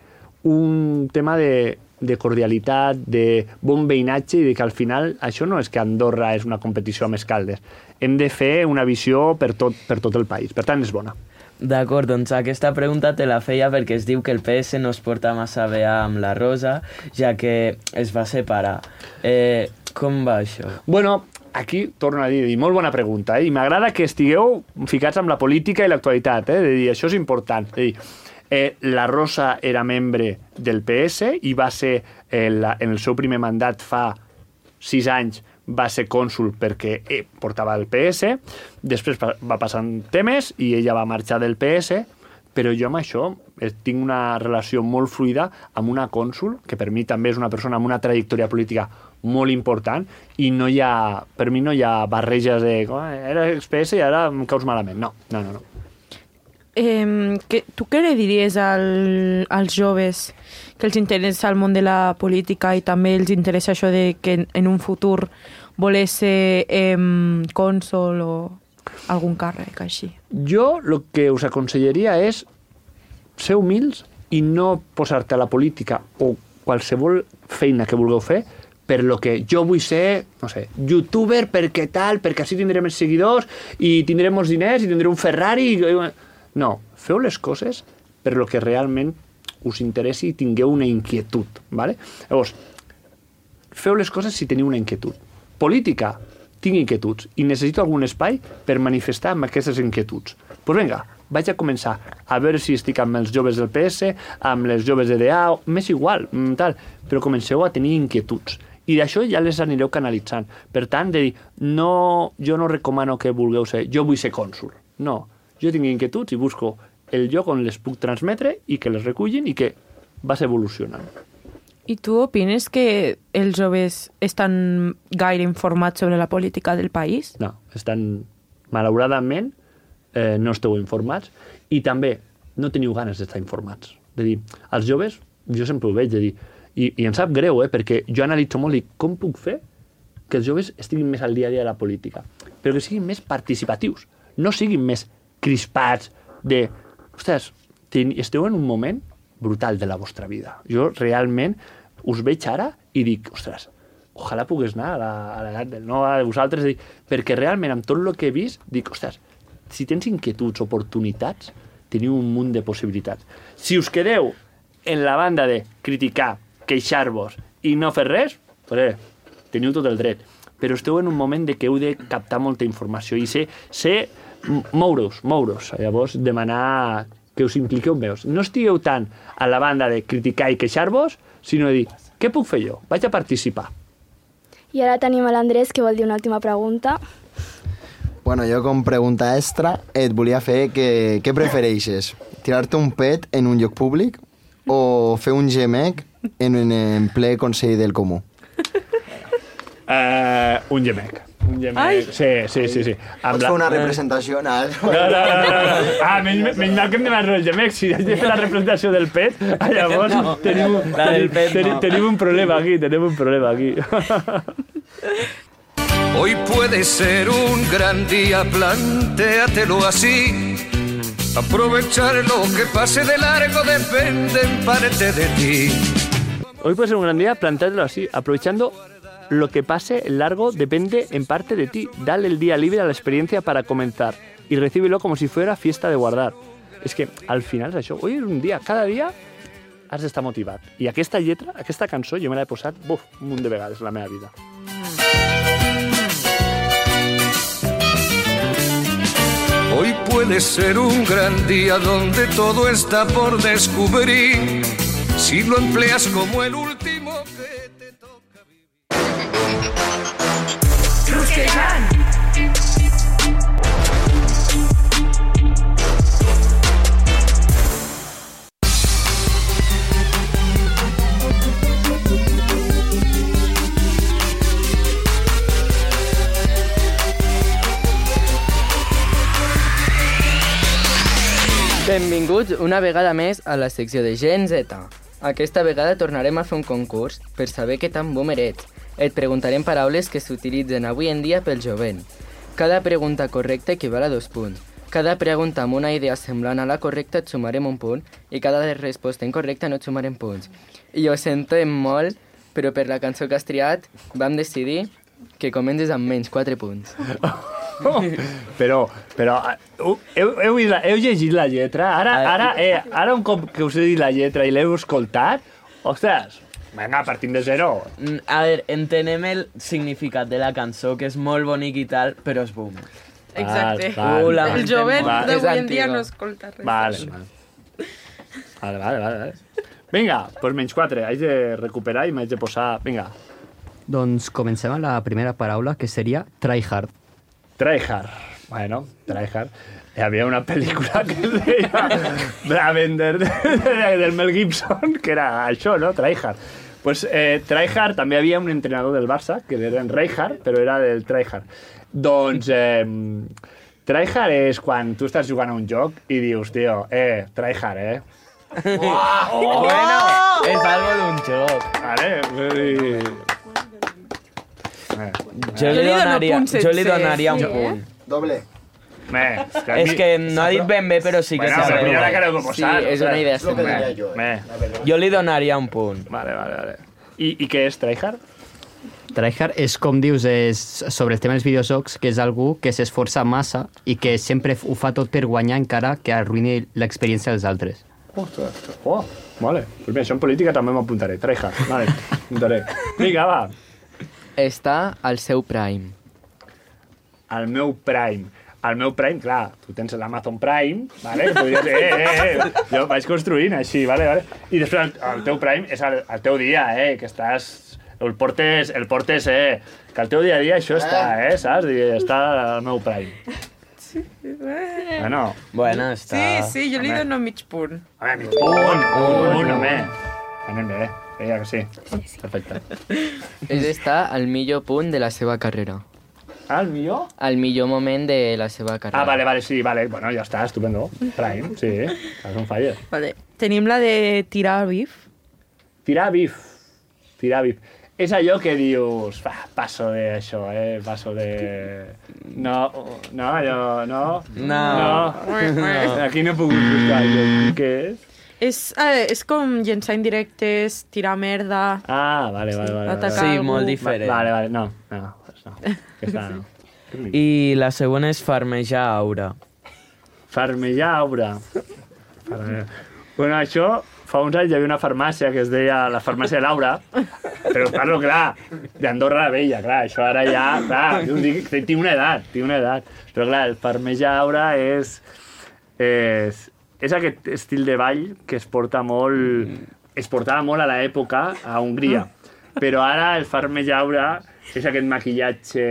Speaker 11: un tema de, de cordialitat, de bon veïnatge i de que al final això no és que Andorra és una competició amb Escaldes. Hem de fer una visió per tot, per tot el país. Per tant, és bona.
Speaker 9: D'acord, doncs aquesta pregunta te la feia perquè es diu que el P S no es porta massa bé amb la Rosa, ja que es va separar. Eh, com va això?
Speaker 11: Bueno, aquí torno a dir, molt bona pregunta, eh? I m'agrada que estigueu ficats amb la política i l'actualitat, eh? De dir, això és important. De dir, Eh, la Rosa era membre del P S i va ser, eh, la, en el seu primer mandat fa sis anys, va ser cònsul perquè eh, portava el P S, després va passant temes i ella va marxar del P S, però jo amb això eh, tinc una relació molt fluida amb una cònsul, que per mi també és una persona amb una trajectòria política molt important, i no hi ha, per mi no hi ha barreges de oh, era ex-P S i ara em caus malament. No, no, no. no.
Speaker 7: Eh, que, tu què li diries al, als joves que els interessa el món de la política i també els interessa això de que en, en un futur voler ser eh, cònsol o algun càrrec així?
Speaker 11: Jo el que us aconsellaria és ser humils i no posar-te a la política o qualsevol feina que vulgueu fer per lo que jo vull ser, no sé, youtuber perquè tal, perquè així tindré més seguidors i tindré molts diners i tindré un Ferrari... I... No, feu les coses per lo que realment us interessi i tingueu una inquietud, ¿vale? Llavors, feu les coses si teniu una inquietud. Política, tinc inquietuds i necessito algun espai per manifestar amb aquestes inquietuds. Doncs pues vinga, vaig a començar a veure si estic amb els joves del P S, amb les joves de D A, m'és igual, tal, però comenceu a tenir inquietuds. I d'això ja les anireu canalitzant. Per tant, de dir, no, jo no recomano que vulgueu ser, jo vull ser cònsul. No, jo tinc inquietuds i busco el lloc on les puc transmetre i que les recullin i que vas evolucionant.
Speaker 7: I tu opines que els joves estan gaire informats sobre la política del país?
Speaker 11: No, estan, malauradament, eh, no esteu informats i també no teniu ganes d'estar informats. De dir, els joves, jo sempre ho veig, de dir, i, i em sap greu, eh, perquè jo analitzo molt i com puc fer que els joves estiguin més al dia a dia de la política, però que siguin més participatius, no siguin més crispats de... Ostres, esteu en un moment brutal de la vostra vida. Jo realment us veig ara i dic, ostres, ojalà pogués anar a l'edat del no, a vosaltres, dic, perquè realment amb tot el que he vist, dic, ostres, si tens inquietuds, oportunitats, teniu un munt de possibilitats. Si us quedeu en la banda de criticar, queixar-vos i no fer res, pues, eh, teniu tot el dret. Però esteu en un moment de que heu de captar molta informació i ser... ser moure's, moure's. Llavors, demanar que us impliqueu més. No estigueu tant a la banda de criticar i queixar-vos, sinó de dir, què puc fer jo? Vaig a participar.
Speaker 10: I ara tenim a l'Andrés, que vol dir una última pregunta.
Speaker 4: Bueno, jo com pregunta extra et volia fer que, què prefereixes? Tirar-te un pet en un lloc públic o fer un gemec en, en ple Consell del Comú?
Speaker 11: Uh, un gemec. Un gemec. Sí, sí, sí. sí.
Speaker 4: Pots la... fer una representació? No,
Speaker 11: no, no. no, no. Ah, menys, menys mal que hem demanat el gemec. Si has de fer la representació del pet, llavors no, tenim,
Speaker 9: la del pet
Speaker 11: ten,
Speaker 9: no.
Speaker 11: tenim un problema aquí, tenim un problema aquí.
Speaker 13: Hoy puede ser un gran día, plantéatelo así. Aprovechar lo que pase de largo depende en parte de ti.
Speaker 11: Hoy puede ser un gran día, plantéatelo así, aprovechando lo que pase largo depende en parte de ti. Dale el día libre a la experiencia para comenzar y recíbelo como si fuera fiesta de guardar. És que al final és això. Hoy és un dia, cada dia has d'estar motivat. I aquesta lletra, aquesta cançó, jo me l'he posat buf, un munt de vegades en la meva vida.
Speaker 13: Hoy puede ser un gran día donde todo está por descubrir. Si lo empleas como el último que te toca vivir.
Speaker 1: Rusquejant!
Speaker 5: Benvinguts una vegada més a la secció de Gen Z. Aquesta vegada tornarem a fer un concurs per saber què tan boomer ets. Et preguntarem paraules que s'utilitzen avui en dia pel jovent. Cada pregunta correcta equival a dos punts. Cada pregunta amb una idea semblant a la correcta et sumarem un punt i cada resposta incorrecta no et sumarem punts. I ho sentem molt, però per la cançó que has triat vam decidir que comences amb menys quatre punts.
Speaker 11: Oh, però, però heu, heu, heu llegit la lletra? Ara, ara, eh, ara un cop que us he dit la lletra i l'heu escoltat, ostres, vinga, partim de zero.
Speaker 9: A veure, entenem el significat de la cançó, que és molt bonic i tal, però és boom.
Speaker 1: Exacte.
Speaker 11: Val,
Speaker 1: val,
Speaker 11: val.
Speaker 1: el jovent
Speaker 11: Val.
Speaker 1: d'avui en dia no escolta res.
Speaker 11: Vale, vale, vale, vale, vale. Vinga, doncs menys quatre, haig de recuperar i m'haig de posar... Vinga.
Speaker 8: Doncs comencem amb la primera paraula, que seria tryhard.
Speaker 11: Tryhard. Bueno, tryhard. Hi havia una pel·lícula que es deia Bravender, del Mel Gibson, que era això, no? Tryhard. Pues eh, tryhard, també hi havia un entrenador del Barça, que era en Rijkaard, però era del tryhard. Doncs eh, tryhard és quan tu estàs jugant a un joc i dius, tio, eh, tryhard, eh?
Speaker 9: Oh, oh, bueno, és algo d'un joc.
Speaker 11: Vale, vull dir...
Speaker 9: Eh, jo, li donaria, jo li donaria un
Speaker 4: sí,
Speaker 9: punt.
Speaker 4: Eh? Doble.
Speaker 11: Me,
Speaker 9: és que, és que no ha dit ben bé, però sí que
Speaker 11: bueno,
Speaker 9: s'ha
Speaker 11: mira la cara de posar.
Speaker 5: Sí, és una idea.
Speaker 4: És el que diria jo.
Speaker 11: Me.
Speaker 9: Jo li donaria un punt.
Speaker 11: Vale, vale, vale. I, i què és tryhard?
Speaker 8: Tryhard és, com dius, és sobre el tema dels videojocs, que és algú que s'esforça massa i que sempre ho fa tot per guanyar encara que arruïni l'experiència dels altres.
Speaker 11: Ostres, oh, vale. Pues mira, això en política també m'apuntaré. Tryhard, vale, apuntaré. Vinga, va.
Speaker 5: Està al seu prime.
Speaker 11: Al meu prime. Al meu prime, clar, tu tens l'Amazon Prime, vale? Podries dir, eh, eh, eh, jo vaig construint així, vale, vale? I després el, el teu prime és el, el teu dia, eh, que estàs... El portes, el portes, eh, que el teu dia a dia això està, eh, saps? I està al meu prime.
Speaker 1: Sí,
Speaker 11: bueno.
Speaker 9: Bueno, està...
Speaker 1: Sí, sí, jo li dono mig punt.
Speaker 11: Home, mig punt, un, un, home. Anem bé, ja que sí. Perfecte.
Speaker 5: És estar al millor punt de la seva carrera.
Speaker 11: Al millor?
Speaker 5: Al millor moment de la seva carrera.
Speaker 11: Ah, vale, vale, sí, vale. Bueno, ja està, estupendo. Prime, sí, és un fire.
Speaker 7: Vale. Tenim la de tirar bif.
Speaker 11: Tirar bif. Tirar bif. És allò que dius, va, passo d'això, eh, passo de... No, no, allò, no.
Speaker 9: No.
Speaker 11: No. Aquí no he pogut buscar allò. Què és?
Speaker 7: És, eh, és com llençar indirectes, tirar merda...
Speaker 11: Ah, vale, vale, vale.
Speaker 7: Atacar
Speaker 9: Sí,
Speaker 7: algú.
Speaker 9: molt diferent.
Speaker 11: Vale, vale, no, no, pues no. Aquesta no.
Speaker 9: I la següent és farmejar aura.
Speaker 11: Farmejar aura. Farmejar. Bueno, això, fa uns anys hi havia una farmàcia que es deia la farmàcia de Laura, però parlo, clar, d'Andorra la Vella, clar, això ara ja, clar, dic, tinc una edat, tinc una edat, però clar, el farmejar aura és, és, és aquest estil de ball que es porta molt, es portava molt a l'època a Hongria, però ara el farmejar aura és aquest maquillatge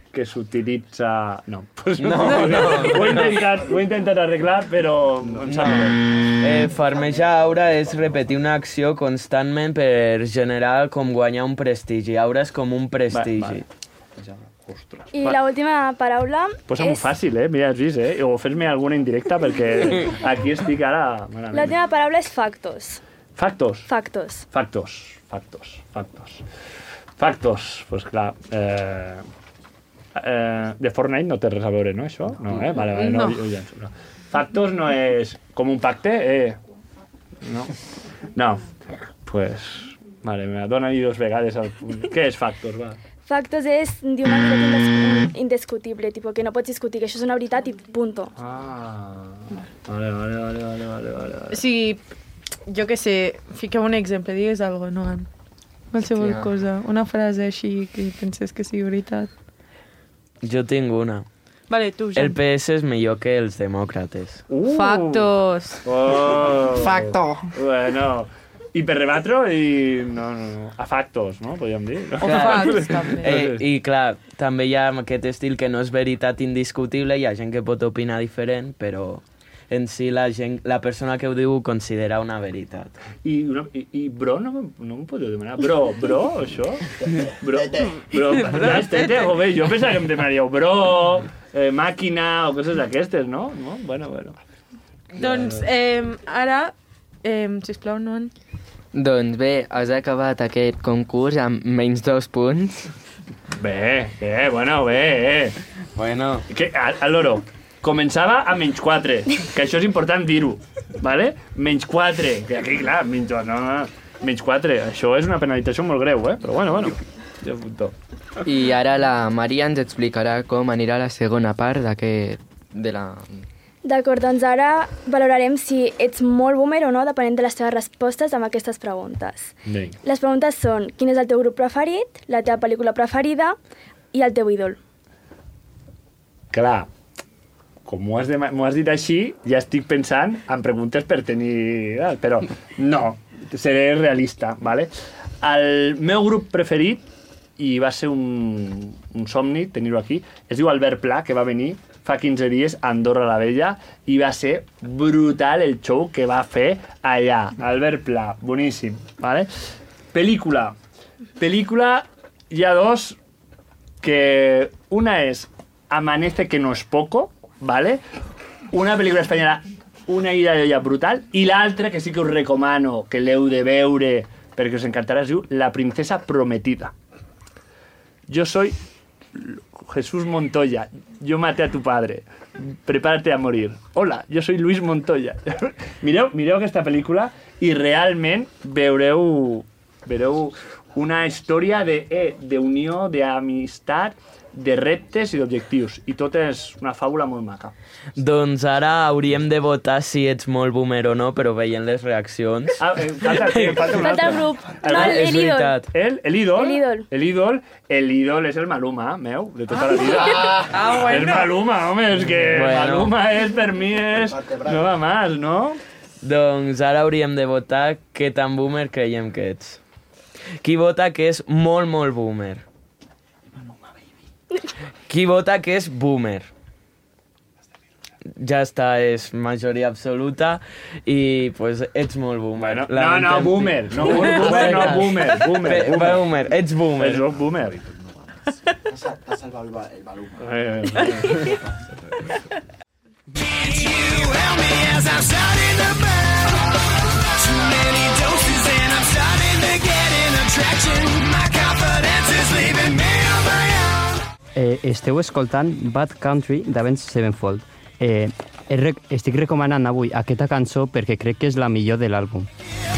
Speaker 11: que s'utilitza... No, pues no, no, no. Ho, he intentat, ho he intentat arreglar, però em sap greu.
Speaker 9: Eh, farmejar aura és repetir una acció constantment per generar com guanyar un prestigi. Aura és com un prestigi.
Speaker 11: Va, va. Ostres.
Speaker 10: I l'última paraula
Speaker 11: Posa-m'ho
Speaker 10: és...
Speaker 11: fàcil, eh? Mira, has vist, eh? O fes-me alguna indirecta, perquè aquí estic ara...
Speaker 10: L'última paraula és factos.
Speaker 11: Factos.
Speaker 10: Factos.
Speaker 11: Factos. Factos. Factos. Factos. Pues clar... Eh... Eh, de Fortnite no té res a veure, no, això? No, eh? Vale, vale, no. no. Ja, no. Factos no és com un pacte, eh? No. No. Pues... Vale, me dona-hi dos vegades al punt. Què és factos, va?
Speaker 10: Factos és dir una veritat indiscutible, tipo, que no pots discutir, que això és una veritat i punto.
Speaker 11: Ah, vale, vale, vale, vale, vale, vale.
Speaker 7: O sigui, jo què sé, fiquem un exemple, digues alguna cosa, no? Qualsevol cosa, una frase així que penses que sigui veritat.
Speaker 9: Jo tinc una.
Speaker 7: Vale, tu, Jan.
Speaker 9: El P S és millor que els demòcrates.
Speaker 11: Uh.
Speaker 7: Factos.
Speaker 11: Oh.
Speaker 2: Facto.
Speaker 11: Bueno, i per rebatre, i... no, no, no. A factos, no? Podríem dir. No?
Speaker 7: O facts, també.
Speaker 9: Eh, I clar, també hi ha aquest estil que no és veritat indiscutible, hi ha gent que pot opinar diferent, però en si la, gent, la persona que ho diu ho considera una veritat.
Speaker 11: I, una, i, i bro, no, no em podeu demanar? Bro, bro, això? Bro, bro, ja, tete, o bé, jo pensava que em demanaríeu bro, eh, màquina o coses d'aquestes, no? no? Bueno, bueno.
Speaker 7: Doncs eh, ara, eh, sisplau, no...
Speaker 5: Doncs bé, has acabat aquest concurs amb menys dos punts.
Speaker 11: Bé, bé, bueno, bé, eh.
Speaker 9: Bueno.
Speaker 11: Que, a, a l'oro, començava a menys quatre, que això és important dir-ho, vale? Menys quatre, que aquí, clar, menys, no, no, menys quatre, això és una penalització molt greu, eh? Però bueno, bueno, ja apunto.
Speaker 5: I ara la Maria ens explicarà com anirà la segona part d'aquest... de la...
Speaker 10: D'acord, doncs ara valorarem si ets molt boomer o no, depenent de les teves respostes amb aquestes preguntes.
Speaker 11: Bé.
Speaker 10: Les preguntes són: quin és el teu grup preferit, la teva pel·lícula preferida i el teu ídol?
Speaker 11: Clar, com m'ho has, de, m'ho has dit així, ja estic pensant en preguntes per tenir... Però no, seré realista, ¿vale? El meu grup preferit, i va ser un, un somni tenir-ho aquí, es diu Albert Pla, que va venir fa quinze dies a Andorra la Vella i va ser brutal el show que va fer allà. Albert Pla, boníssim, ¿vale? Pel·lícula. Pel·lícula, hi ha dos que... Una és Amanece que no es poco, ¿vale? Una pel·lícula espanyola, una ida d'olla brutal, i l'altra, que sí que us recomano que l'heu de veure perquè us encantarà, es diu La princesa prometida. Yo soy Jesús Montoya, yo maté a tu padre, prepárate a morir. Hola, yo soy Luis Montoya. mireu, mireu aquesta pel·lícula i realment veureu, veureu una història de, eh, d'unió, d'amistat, de reptes i d'objectius. I tot és una fàbula molt maca.
Speaker 9: Doncs ara hauríem de votar si ets molt boomer o no, però veient les reaccions...
Speaker 11: Ah, eh, falta, eh, falta un altre.
Speaker 10: Falta el grup. No, el,
Speaker 9: és
Speaker 10: el ídol.
Speaker 9: veritat.
Speaker 11: El, el ídol.
Speaker 10: El ídol.
Speaker 11: El ídol. El ídol és el Maluma, meu, de tota la vida.
Speaker 7: Ah, bueno.
Speaker 11: És Maluma, home, és que
Speaker 9: Bueno.
Speaker 11: Maluma és, per mi, és... No va más, no?
Speaker 9: Doncs ara hauríem de votar què tan boomer creiem que ets. Qui vota que és molt, molt boomer? Qui vota que és boomer? Ja està, és majoria absoluta i pues, ets molt boomer.
Speaker 11: Bueno, no, no, boomer. No, boomer, no, boomer. Boomer,
Speaker 9: Bé,
Speaker 11: boomer.
Speaker 9: boomer. Ets boomer.
Speaker 11: És boomer.
Speaker 4: T'ha salvat el Maluma.
Speaker 11: Eh, eh,
Speaker 12: You help me as I'm starting to burn. Too many doses and I'm starting to get an attraction. My confidence is leaving me on my own.
Speaker 8: Eh, esteu escoltant Bad Country d'Avenged Sevenfold. Eh, rec estic recomanant avui aquesta cançó perquè crec que és la millor de l'àlbum.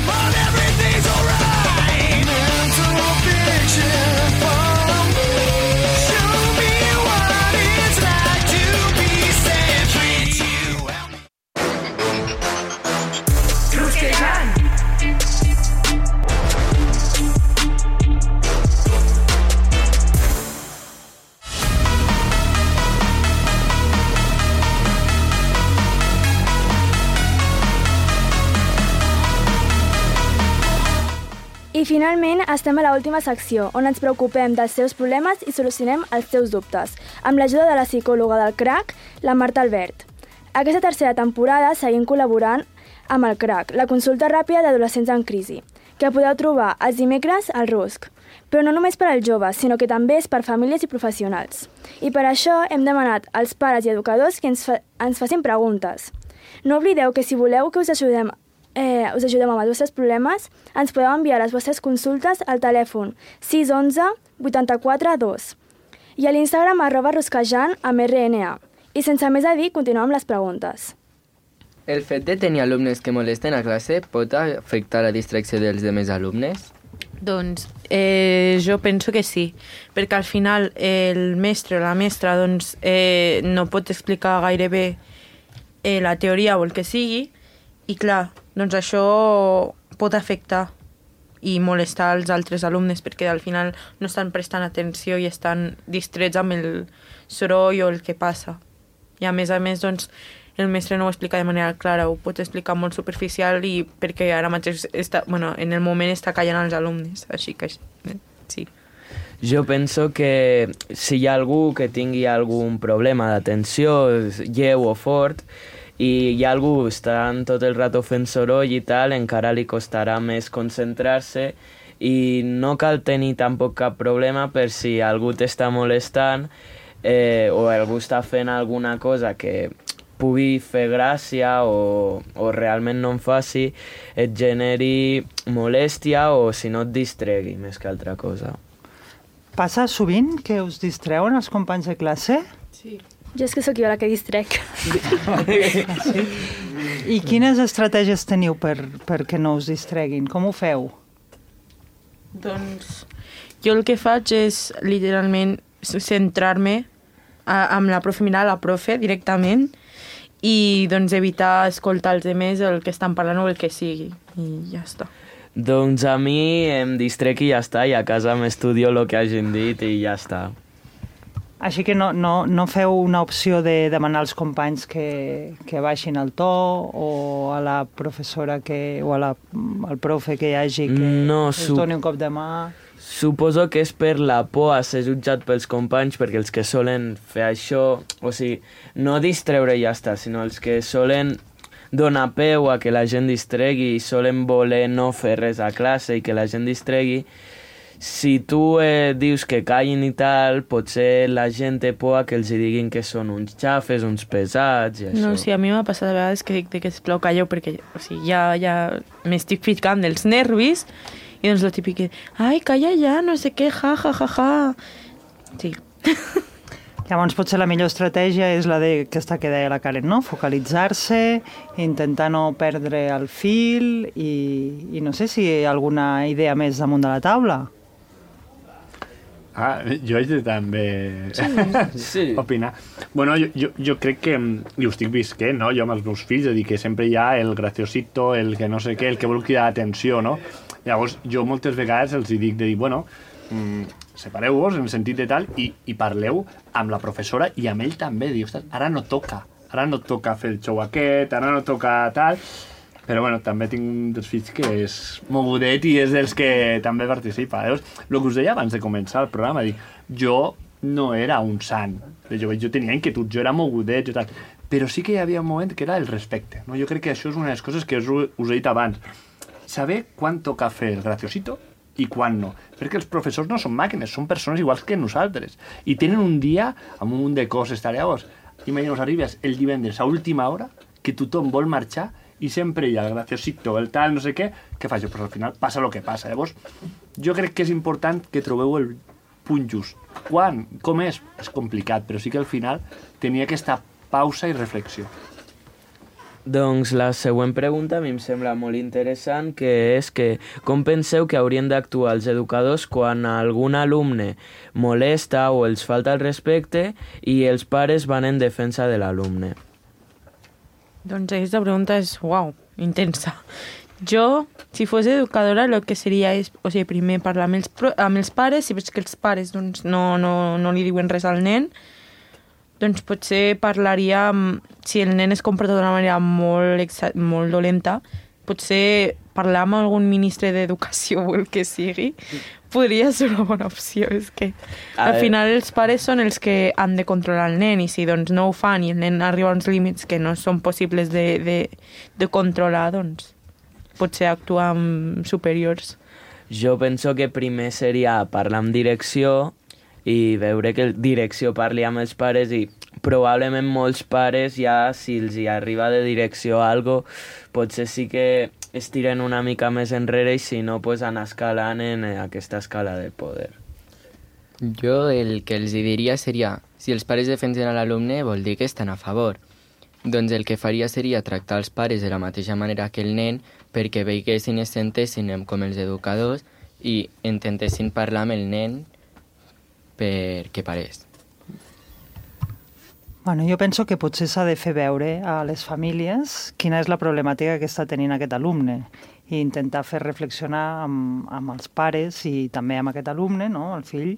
Speaker 12: But everything's alright. Mental fiction from show me what it's like to be set free. You help me.
Speaker 1: Rusquejant.
Speaker 10: I finalment estem a l'última secció, on ens preocupem dels seus problemes i solucionem els seus dubtes, amb l'ajuda de la psicòloga del C R A C, la Marta Albert. Aquesta tercera temporada seguim col·laborant amb el C R A C, la consulta ràpida d'adolescents en crisi, que podeu trobar els dimecres al Rusc. Però no només per als joves, sinó que també és per famílies i professionals. I per això hem demanat als pares i educadors que ens, fa ens facin preguntes. No oblideu que si voleu que us ajudem Eh, us ajudem amb els vostres problemes, ens podeu enviar les vostres consultes al telèfon sis onze vuitanta-quatre dos i a l'Instagram arroba rusquejant amb R N A. I sense més a dir, continuem amb les preguntes.
Speaker 5: El fet de tenir alumnes que molesten a classe pot afectar la distracció dels demés alumnes?
Speaker 7: Doncs eh, jo penso que sí, perquè al final el mestre o la mestra doncs, eh, no pot explicar gaire bé eh, la teoria o el que sigui, i clar, doncs això pot afectar i molestar els altres alumnes perquè al final no estan prestant atenció i estan distrets amb el soroll o el que passa. I a més a més, doncs, el mestre no ho explica de manera clara, ho pot explicar molt superficial i perquè ara mateix està, bueno, en el moment està callant els alumnes, així que sí.
Speaker 9: Jo penso que si hi ha algú que tingui algun problema d'atenció lleu o fort i hi ha algú que està tot el rato fent soroll i tal, encara li costarà més concentrar-se i no cal tenir tampoc cap problema per si algú t'està molestant eh, o algú està fent alguna cosa que pugui fer gràcia o, o realment no en faci, et generi molèstia o si no et distregui més que altra cosa.
Speaker 14: Passa sovint que us distreuen els companys de classe?
Speaker 10: Sí. Jo és que sóc jo la que distrec.
Speaker 14: Sí. I quines estratègies teniu per, perquè no us distreguin? Com ho feu?
Speaker 7: Doncs jo el que faig és literalment centrar-me amb la profe, mirar la profe directament i doncs evitar escoltar els altres el que estan parlant o el que sigui i ja està.
Speaker 9: Doncs a mi em distrec i ja està, i a casa m'estudio el que hagin dit i ja està.
Speaker 14: Així que no, no, no feu una opció de demanar als companys que, que baixin el to o a la professora que, o a la, al profe que hi hagi que
Speaker 9: no,
Speaker 14: us doni un cop de mà?
Speaker 9: Suposo que és per la por a ser jutjat pels companys, perquè els que solen fer això, o sigui, no distreure i ja està, sinó els que solen donar peu a que la gent distregui i solen voler no fer res a classe i que la gent distregui, si tu eh, dius que callin i tal, potser la gent té por a que els diguin que són uns xafes, uns pesats i això.
Speaker 7: No, sí, a mi m'ha passat a vegades que dic que sisplau calleu perquè o sigui, ja, ja m'estic ficant dels nervis i doncs el típic que, ai, calla ja, no sé què, ja, ja, ja, ja. Sí.
Speaker 14: Llavors potser la millor estratègia és la de, aquesta que deia la Karen, no? Focalitzar-se, intentar no perdre el fil i, i no sé si hi ha alguna idea més damunt de la taula.
Speaker 11: Ah, jo haig de també sí. opinar. Bueno, jo, jo, jo crec que, i ho estic visquent, no? Jo amb els meus fills, és a dir, que sempre hi ha el graciosito, el que no sé què, el que vol cridar atenció, no? Llavors, jo moltes vegades els dic de dir, bueno, mmm, separeu-vos en el sentit de tal i, i parleu amb la professora i amb ell també. Diu, ara no toca, ara no toca fer el show aquest, ara no toca tal. Però bueno, també tinc un dels fills que és mogudet i és dels que també participa. Llavors, el que us deia abans de començar el programa, dic, jo no era un sant. Jo, jo tenia inquietud, jo era mogudet, jo tal. Però sí que hi havia un moment que era el respecte. No? Jo crec que això és una de les coses que us, us he dit abans. Saber quan toca fer el graciosito i quan no. Perquè els professors no són màquines, són persones iguals que nosaltres. I tenen un dia amb un munt de coses. Llavors, imagineu, arribes el divendres a última hora, que tothom vol marxar i sempre hi ha el graciosito, el tal, no sé què, què faig? Pues al final passa el que passa. Llavors, jo crec que és important que trobeu el punt just. Quan? Com és? És complicat, però sí que al final tenia aquesta pausa i reflexió.
Speaker 9: Doncs la següent pregunta a mi em sembla molt interessant, que és que com penseu que haurien d'actuar els educadors quan algun alumne molesta o els falta el respecte i els pares van en defensa de l'alumne?
Speaker 7: Doncs aquesta pregunta és, uau, intensa. Jo, si fos educadora, el que seria és, o sigui, primer parlar amb els, amb els pares, si veig que els pares doncs, no, no, no li diuen res al nen, doncs potser parlaria, si el nen es comporta d'una manera molt, molt dolenta, potser parlar amb algun ministre d'educació o el que sigui, podria ser una bona opció. És que al final els pares són els que han de controlar el nen i si doncs, no ho fan i el nen arriba a uns límits que no són possibles de, de, de controlar, doncs potser actuar amb superiors.
Speaker 9: Jo penso que primer seria parlar amb direcció i veure que direcció parli amb els pares i probablement molts pares ja, si els hi arriba de direcció algo, potser sí que es tiren una mica més enrere i si no, pues anar escalant en aquesta escala de poder.
Speaker 5: Jo el que els diria seria, si els pares defensen a l'alumne vol dir que estan a favor. Doncs el que faria seria tractar els pares de la mateixa manera que el nen perquè veiguessin i es sentessin com els educadors i intentessin parlar amb el nen perquè parés.
Speaker 14: Bueno, jo penso que potser s'ha de fer veure a les famílies quina és la problemàtica que està tenint aquest alumne i intentar fer reflexionar amb, amb els pares i també amb aquest alumne, no? El fill,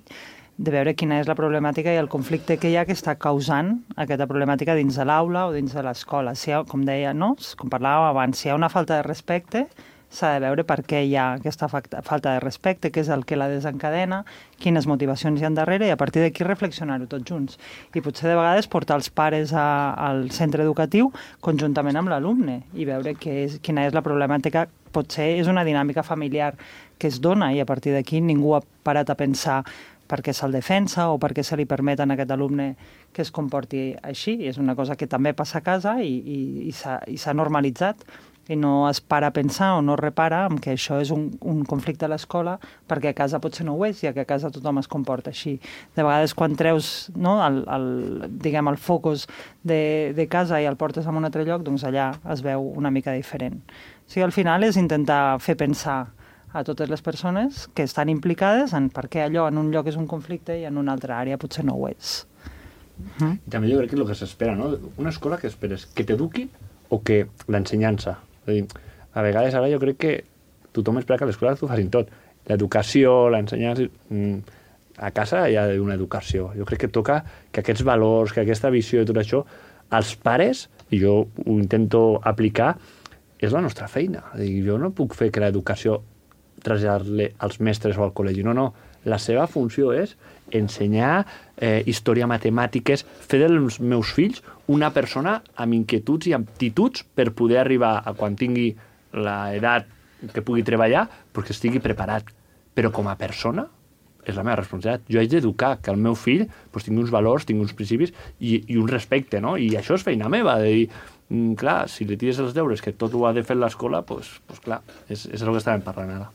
Speaker 14: de veure quina és la problemàtica i el conflicte que hi ha que està causant aquesta problemàtica dins de l'aula o dins de l'escola. Si hi ha, com deia, no? Com parlàvem abans, si hi ha una falta de respecte, s'ha de veure per què hi ha aquesta falta de respecte, què és el que la desencadena, quines motivacions hi ha darrere, i a partir d'aquí reflexionar-ho tots junts. I potser de vegades portar els pares a, al centre educatiu conjuntament amb l'alumne i veure què és, quina és la problemàtica. Potser és una dinàmica familiar que es dona i a partir d'aquí ningú ha parat a pensar per què se'l defensa o per què se li permet a aquest alumne que es comporti així. És una cosa que també passa a casa i, i, i s'ha normalitzat i no es para a pensar o no repara en que això és un, un conflicte a l'escola perquè a casa potser no ho és, ja que a casa tothom es comporta així. De vegades quan treus, no, el, el, diguem, el focus de, de casa i el portes a un altre lloc, doncs allà es veu una mica diferent. O sigui, al final és intentar fer pensar a totes les persones que estan implicades en per què allò en un lloc és un conflicte i en una altra àrea potser no ho és.
Speaker 11: Mm. També jo crec que és el que s'espera, no? Una escola que esperes que t'eduqui o que l'ensenyança. És a dir, a vegades ara jo crec que tothom espera que a l'escola t'ho facin tot. L'educació, l'ensenyança... A casa hi ha una educació. Jo crec que toca que aquests valors, que aquesta visió i tot això, als pares, i jo ho intento aplicar, és la nostra feina. És a dir, jo no puc fer que l'educació traslladar-le als mestres o al col·legi. No, no. La seva funció és ensenyar eh, història, matemàtiques, fer dels meus fills una persona amb inquietuds i aptituds per poder arribar a quan tingui l'edat que pugui treballar, perquè estigui preparat. Però com a persona és la meva responsabilitat. Jo haig d'educar que el meu fill pues, tingui uns valors, tingui uns principis i, i un respecte, no? I això és feina meva, de dir, mm, clar, si li tires els deures que tot ho ha de fer l'escola, doncs pues, pues, clar, és, és el que estàvem parlant ara.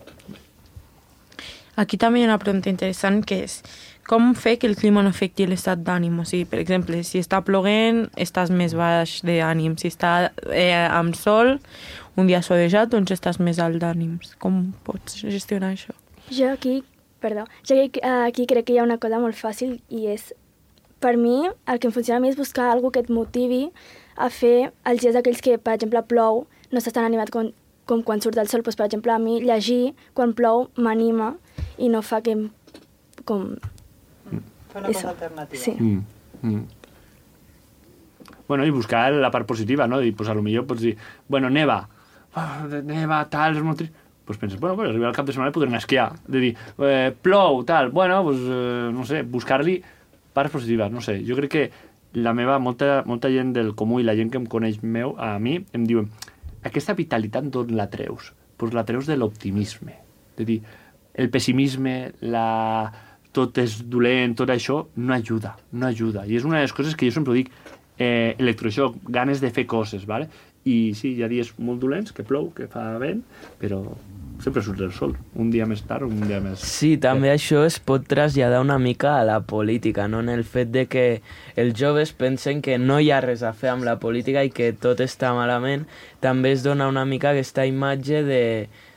Speaker 7: Aquí també hi ha una pregunta interessant que és com fer que el clima no afecti l'estat d'ànim? O sigui, per exemple, si està ploguent, estàs més baix d'ànim. Si està eh, amb sol, un dia solejat, doncs estàs més alt d'ànims. Com pots gestionar això?
Speaker 10: Jo aquí, perdó, jo aquí, aquí crec que hi ha una cosa molt fàcil i és, per mi, el que em funciona a mi és buscar alguna que et motivi a fer els dies aquells que, per exemple, plou, no estàs tan animat com, com quan surt el sol. Pues, per exemple, a mi llegir quan plou m'anima i no fa que com...
Speaker 14: Fa una cosa alternativa.
Speaker 10: Sí.
Speaker 11: Mm, mm. Bueno, i buscar la part positiva, no? I, pues, a lo millor pots dir, bueno, neva, oh, neva, tal, és molt trist. Pues penses, bueno, pues, arribar al cap de setmana i podrem esquiar. De dir, eh, plou, tal, bueno, pues, eh, no sé, buscar-li parts positives, no sé. Jo crec que la meva, molta, molta gent del comú i la gent que em coneix meu, a mi, em diuen, aquesta vitalitat d'on la treus? Pues la treus de l'optimisme. De dir, el pessimisme, la... tot és dolent, tot això, no ajuda, no ajuda. I és una de les coses que jo sempre dic, eh, electroxoc, ganes de fer coses, ¿vale? I sí, hi ha dies molt dolents, que plou, que fa vent, però sempre surt el sol, un dia més tard, un dia més...
Speaker 9: Sí, també això es pot traslladar una mica a la política, no? En el fet de que els joves pensen que no hi ha res a fer amb la política i que tot està malament, també es dona una mica aquesta imatge de,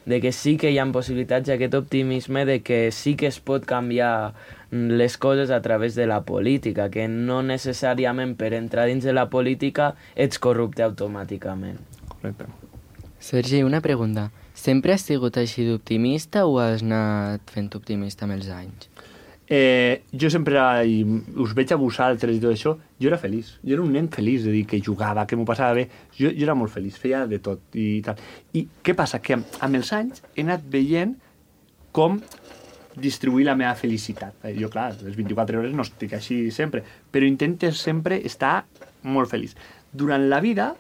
Speaker 9: de que sí que hi ha possibilitats, aquest optimisme de que sí que es pot canviar les coses a través de la política, que no necessàriament per entrar dins de la política ets corrupte automàticament.
Speaker 11: Correcte.
Speaker 5: Sergi, una pregunta. Sempre has sigut així d'optimista o has anat fent optimista amb els anys?
Speaker 11: Eh, jo sempre, i us veig a vosaltres i tot això, jo era feliç. Jo era un nen feliç, de dir, que jugava, que m'ho passava bé. Jo, jo era molt feliç, feia de tot i tal. I què passa? Que amb els anys he anat veient com distribuir la meva felicitat. Jo, clar, les vint-i-quatre hores no estic així sempre, però intentes sempre estar molt feliç. Durant la vida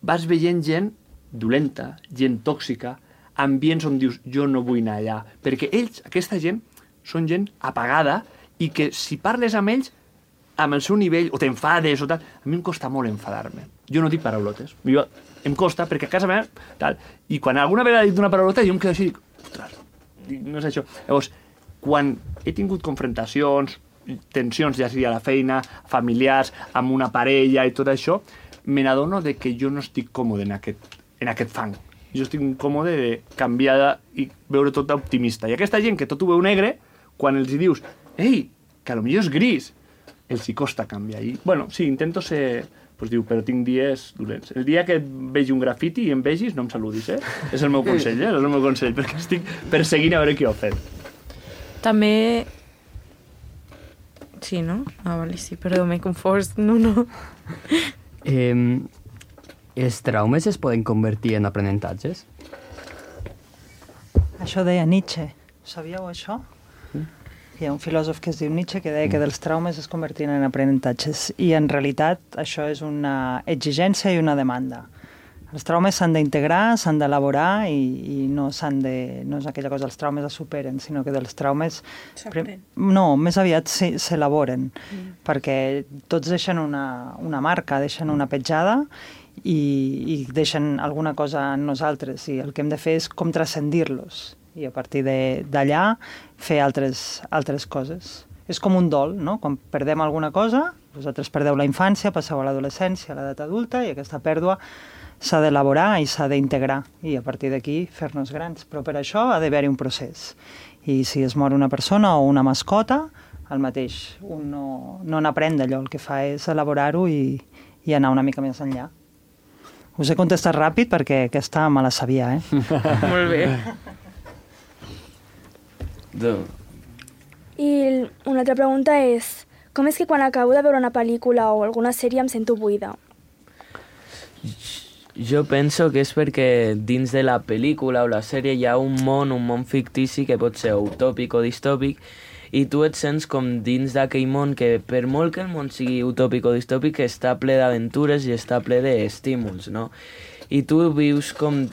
Speaker 11: vas veient gent dolenta, gent tòxica, ambients on dius, jo no vull anar allà. Perquè ells, aquesta gent, són gent apagada i que si parles amb ells, amb el seu nivell, o t'enfades o tal, a mi em costa molt enfadar-me. Jo no dic paraulotes. Jo, em costa perquè a casa meva, tal, i quan alguna vegada he dit una paraulota, jo em quedo així i dic, ostres, no és això. Llavors, quan he tingut confrontacions, tensions, ja sigui a la feina, familiars, amb una parella i tot això, me n'adono de que jo no estic còmode en aquest, en aquest fang. Jo estic còmode de canviar i veure tot optimista. I aquesta gent que tot ho veu negre, quan els hi dius, ei, que potser és gris, els hi costa canviar. I, bueno, sí, intento ser doncs diu, però tinc dies dolents. El dia que vegi un grafiti i em vegis, no em saludis, eh? És el meu consell, eh? És el meu consell, perquè estic perseguint a veure qui ho ha fet.
Speaker 7: També... Sí, no? Ah, vale, sí, perdó, m'he confós. No, no.
Speaker 8: Eh, els traumes es poden convertir en aprenentatges?
Speaker 14: Això deia Nietzsche. Sabíeu això? Mm. Hi ha un filòsof que es diu Nietzsche que deia que dels traumes es convertien en aprenentatges. I en realitat això és una exigència i una demanda. Els traumes s'han d'integrar, s'han d'elaborar i, i no s'han de... No és aquella cosa, els traumes es superen, sinó que dels traumes... No, més aviat s'elaboren, mm. perquè tots deixen una, una marca, deixen una petjada i, i deixen alguna cosa en nosaltres. I el que hem de fer és com transcendir-los i a partir d'allà fer altres, altres coses. És com un dol, no? Quan perdem alguna cosa, vosaltres perdeu la infància, passeu a l'adolescència, a l'edat adulta, i aquesta pèrdua s'ha d'elaborar i s'ha d'integrar, i a partir d'aquí fer-nos grans. Però per això ha d'haver-hi un procés. I si es mor una persona o una mascota, el mateix. Un no, no n'aprèn d'allò, el que fa és elaborar-ho i, i anar una mica més enllà. Us he contestat ràpid perquè aquesta me la sabia, eh?
Speaker 7: Molt bé.
Speaker 10: I una altra pregunta és, com és que quan acabo de veure una pel·lícula o alguna sèrie em sento buida?
Speaker 9: Jo penso que és perquè dins de la pel·lícula o la sèrie hi ha un món, un món fictici que pot ser utòpic o distòpic, i tu et sents com dins d'aquell món que, per molt que el món sigui utòpic o distòpic, està ple d'aventures i està ple d'estímuls, no? I tu vius com,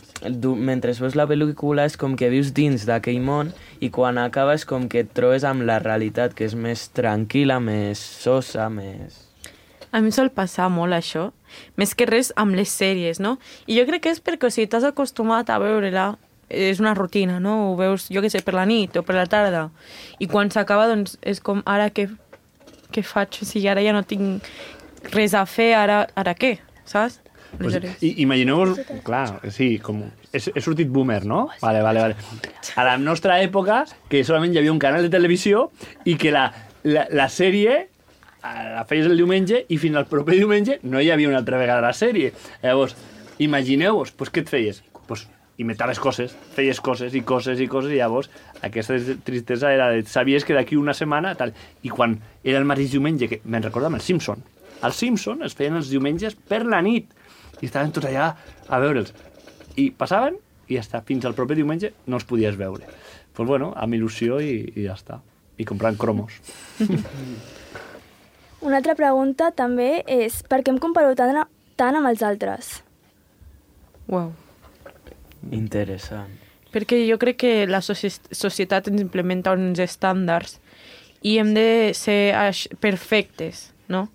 Speaker 9: mentre veus la pel·lícula, és com que vius dins d'aquell món i quan acabes com que et trobes amb la realitat, que és més tranquil·la, més sosa, més...
Speaker 7: A mi sol passar molt això, més que res amb les sèries, no? I jo crec que és perquè si t'has acostumat a veure-la, és una rutina, no? Ho veus, jo què sé, per la nit o per la tarda. I quan s'acaba, doncs, és com, ara què, què faig? O sigui, ara ja no tinc res a fer, ara, ara què? Saps?
Speaker 11: Pues, i, imagineu-vos, clar, sí, com... He, he sortit boomer, no? Vale, vale, vale. A la nostra època, que solament hi havia un canal de televisió i que la, la, la sèrie la feies el diumenge i fins al proper diumenge no hi havia una altra vegada la sèrie. Llavors, imagineu-vos, pues, què et feies? Pues, inventaves coses, feies coses i coses i coses i llavors aquesta tristesa era de... Sabies que d'aquí una setmana tal... I quan era el mateix diumenge, que me'n recordo amb el Simpson. Els Simpson es feien els diumenges per la nit i estaven tots allà a veure'ls. I passaven i ja està. Fins al proper diumenge no els podies veure. Doncs pues bueno, amb il·lusió i, i ja està. I comprant cromos.
Speaker 10: Una altra pregunta també és per què em comparo tant, tant amb els altres?
Speaker 7: Uau.
Speaker 9: Interessant.
Speaker 7: Perquè jo crec que la societat ens implementa uns estàndards i hem de ser perfectes, no?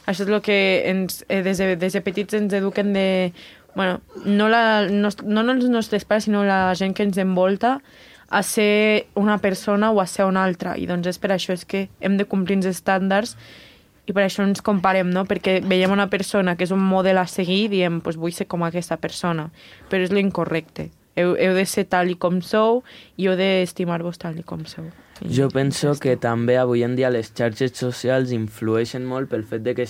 Speaker 7: Això és el que ens, eh, des, de, des de petits ens eduquen de... Bueno, no, la, no, no els nostres pares, sinó la gent que ens envolta a ser una persona o a ser una altra. I doncs és per això és que hem de complir els estàndards i per això ens comparem, no? Perquè veiem una persona que és un model a seguir i diem, pues vull ser com aquesta persona. Però és l'incorrecte. Heu, heu de ser tal i com sou i heu d'estimar-vos tal i com sou.
Speaker 9: Jo penso que també avui en dia les xarxes socials influeixen molt pel fet de que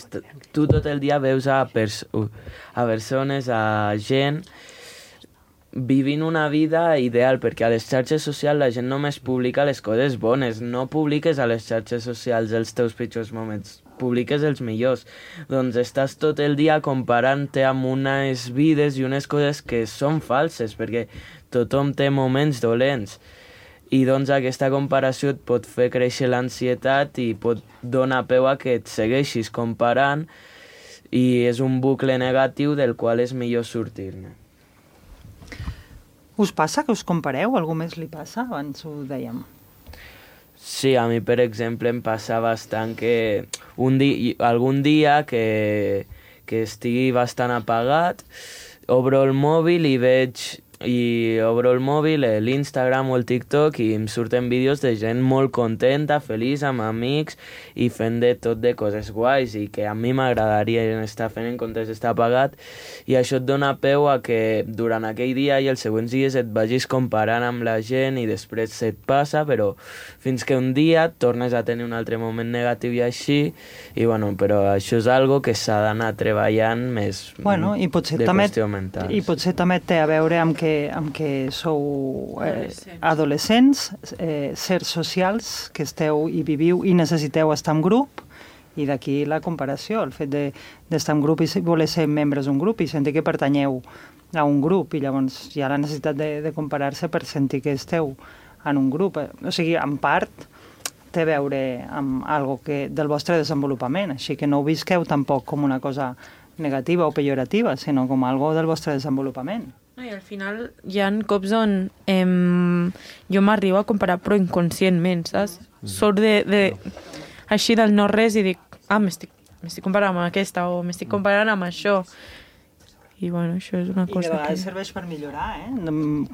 Speaker 9: tu tot el dia veus a, pers a persones, a gent vivint una vida ideal, perquè a les xarxes socials la gent només publica les coses bones, no publiques a les xarxes socials els teus pitjors moments, publiques els millors. Doncs estàs tot el dia comparant-te amb unes vides i unes coses que són falses, perquè tothom té moments dolents. I doncs aquesta comparació et pot fer créixer l'ansietat i pot donar peu a que et segueixis comparant i és un bucle negatiu del qual és millor sortir-ne.
Speaker 14: Us passa que us compareu? Algú més li passa? Abans ho dèiem.
Speaker 9: Sí, a mi, per exemple, em passa bastant que un di algun dia que, que estigui bastant apagat, obro el mòbil i veig i obro el mòbil, l'Instagram o el TikTok i em surten vídeos de gent molt contenta, feliç, amb amics i fent de tot de coses guais i que a mi m'agradaria estar fent en comptes d'estar pagat, i això et dona peu a que durant aquell dia i els següents dies et vagis comparant amb la gent i després se't passa, però fins que un dia tornes a tenir un altre moment negatiu i així, i bueno, però això és algo que s'ha d'anar treballant més
Speaker 14: bueno, i potser
Speaker 9: de
Speaker 14: també,
Speaker 9: qüestió mental.
Speaker 14: I potser també té a veure amb que, amb que sou eh, adolescents, eh, sers socials, que esteu i viviu i necessiteu estar en grup, i d'aquí la comparació, el fet d'estar de, en grup i voler ser membres d'un grup i sentir que pertanyeu a un grup, i llavors hi ha la necessitat de, de comparar-se per sentir que esteu en un grup. O sigui, en part té a veure amb algo que, del vostre desenvolupament, així que no ho visqueu tampoc com una cosa negativa o pejorativa, sinó com algo del vostre desenvolupament.
Speaker 7: I al final hi ha cops on em, jo m'arribo a comparar però inconscientment, saps? Sort de, de, així del no res i dic, ah, m'estic comparant amb aquesta o m'estic comparant amb això. I bueno, això és una cosa
Speaker 14: I de vegades
Speaker 7: que...
Speaker 14: serveix per millorar, eh?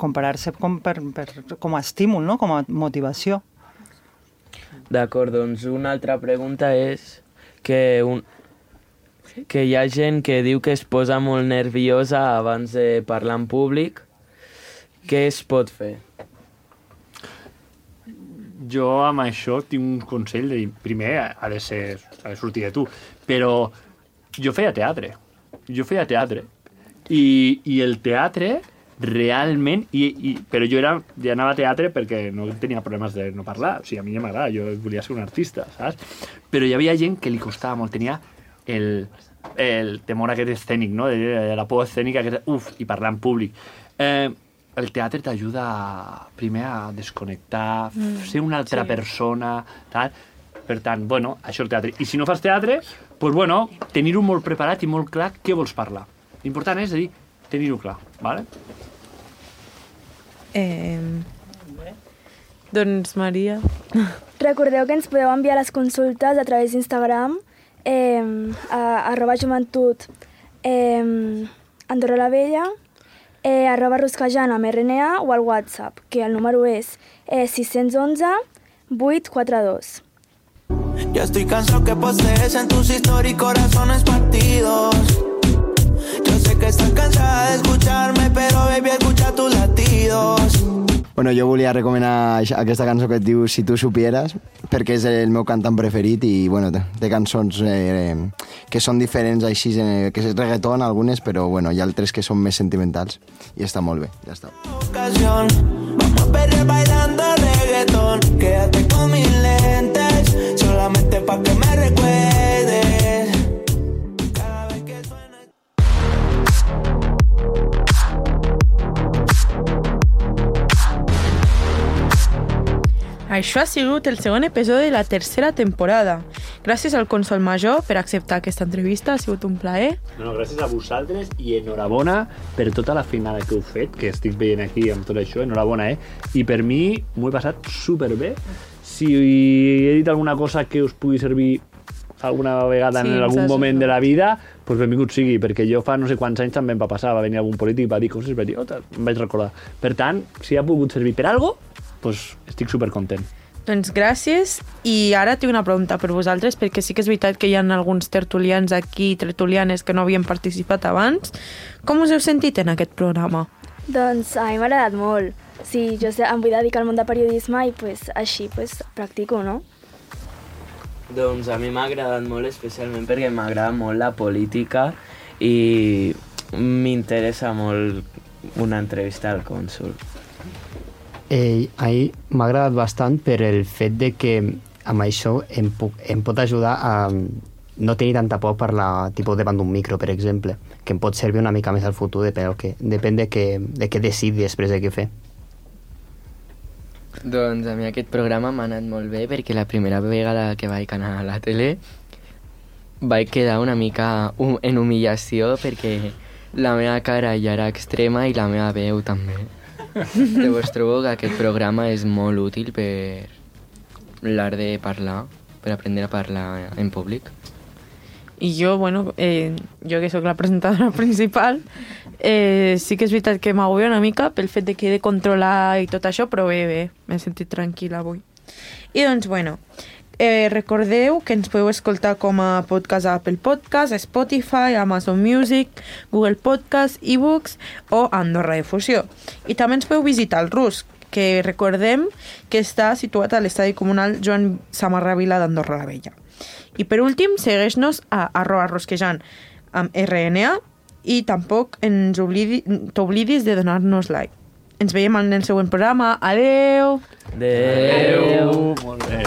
Speaker 14: Comparar-se com, per, per, com a estímul, no? Com a motivació.
Speaker 9: D'acord, doncs una altra pregunta és que, un, que hi ha gent que diu que es posa molt nerviosa abans de parlar en públic. Què es pot fer?
Speaker 11: Jo amb això tinc un consell de dir, primer ha de ser, ha de sortir de tu, però jo feia teatre, jo feia teatre i, i el teatre realment, i, i, però jo era, ja anava a teatre perquè no tenia problemes de no parlar, o sigui, a mi ja m'agrada, jo volia ser un artista, saps? Però hi havia gent que li costava molt, tenia el, el temor aquest escènic, no? De, de la por escènica, que, uf, i parlar en públic. Eh, el teatre t'ajuda primer a desconnectar, mm, ser una altra sí. persona, tal. Per tant, bueno, això és el teatre. I si no fas teatre, doncs, bueno, tenir-ho molt preparat i molt clar què vols parlar. L'important és dir, tenir-ho clar, ¿vale?
Speaker 7: Eh, doncs, Maria...
Speaker 10: Recordeu que ens podeu enviar les consultes a través d'Instagram, eh, a arroba joventut eh, Andorra la Vella, eh, arroba rusquejant amb R N A o al WhatsApp, que el número és eh, sis u un vuit quatre dos.
Speaker 12: Ya estoy cansado que postees en tus stories corazones partidos. Yo sé que estás cansada de escucharme, pero baby, escucha tus latidos.
Speaker 4: Bueno, jo volia recomanar aquesta cançó que et diu Si tu supieras, perquè és el meu cantant preferit i, bueno, té cançons eh, que són diferents així, eh, que és reggaeton algunes, però, bueno, hi ha altres que són més sentimentals i està molt bé, ja està.
Speaker 12: Ocasión, vamos a perder bailando reggaeton. Quédate con mis lentes, solamente pa' que me recuerdes. Cada vez que suena...
Speaker 7: Això ha sigut el segon episodi de la tercera temporada. Gràcies al Consol Major per acceptar aquesta entrevista, ha sigut un plaer.
Speaker 11: No, no, gràcies a vosaltres i enhorabona per tota la feinada que heu fet, que estic veient aquí amb tot això, enhorabona, eh? I per mi m'ho he passat superbé. Si he dit alguna cosa que us pugui servir alguna vegada sí, en algun moment de la vida, doncs benvingut sigui, perquè jo fa no sé quants anys també em va passar, va venir algun polític i va dir coses, va dir, oh, em vaig recordar. Per tant, si ha pogut servir per alguna cosa, doncs estic supercontent.
Speaker 7: Doncs gràcies, i ara tinc una pregunta per vosaltres, perquè sí que és veritat que hi ha alguns tertulians aquí, tertulianes que no havien participat abans. Com us heu sentit en aquest programa?
Speaker 10: Doncs a mi m'ha agradat molt. Sí, jo sé, em vull dedicar al món de periodisme i pues, així pues, practico, no?
Speaker 9: Doncs a mi m'ha agradat molt, especialment perquè m'agrada molt la política i m'interessa molt una entrevista al cònsol.
Speaker 8: Eh, a mi m'ha agradat bastant per el fet de que amb això em, puc, em pot ajudar a no tenir tanta por per la tipus davant d'un micro, per exemple, que em pot servir una mica més al futur, però que depèn de què, de què decidi després de què fer.
Speaker 5: Doncs a mi aquest programa m'ha anat molt bé perquè la primera vegada que vaig anar a la tele vaig quedar una mica en humillació perquè la meva cara ja era extrema i la meva veu també. Llavors trobo que aquest programa és molt útil per l'art de parlar, per aprendre a parlar en públic.
Speaker 7: I jo, bueno, eh, jo que sóc la presentadora principal, eh, sí que és veritat que m'agobia una mica pel fet de que he de controlar i tot això, però bé, bé, m'he sentit tranquil·la avui. I doncs, bueno, eh, recordeu que ens podeu escoltar com a podcast a Apple Podcast, Spotify, Amazon Music, Google Podcast, eBooks o Andorra Difusió. I també ens podeu visitar el Rusc, que recordem que està situat a l'estadi comunal Joan Samarra Vila d'Andorra la Vella. I per últim, segueix-nos a arroba rosquejant amb R N A i tampoc ens oblidi, t'oblidis de donar-nos like. Ens veiem en el següent programa. Adeu!
Speaker 9: Adeu!
Speaker 11: Molt bé.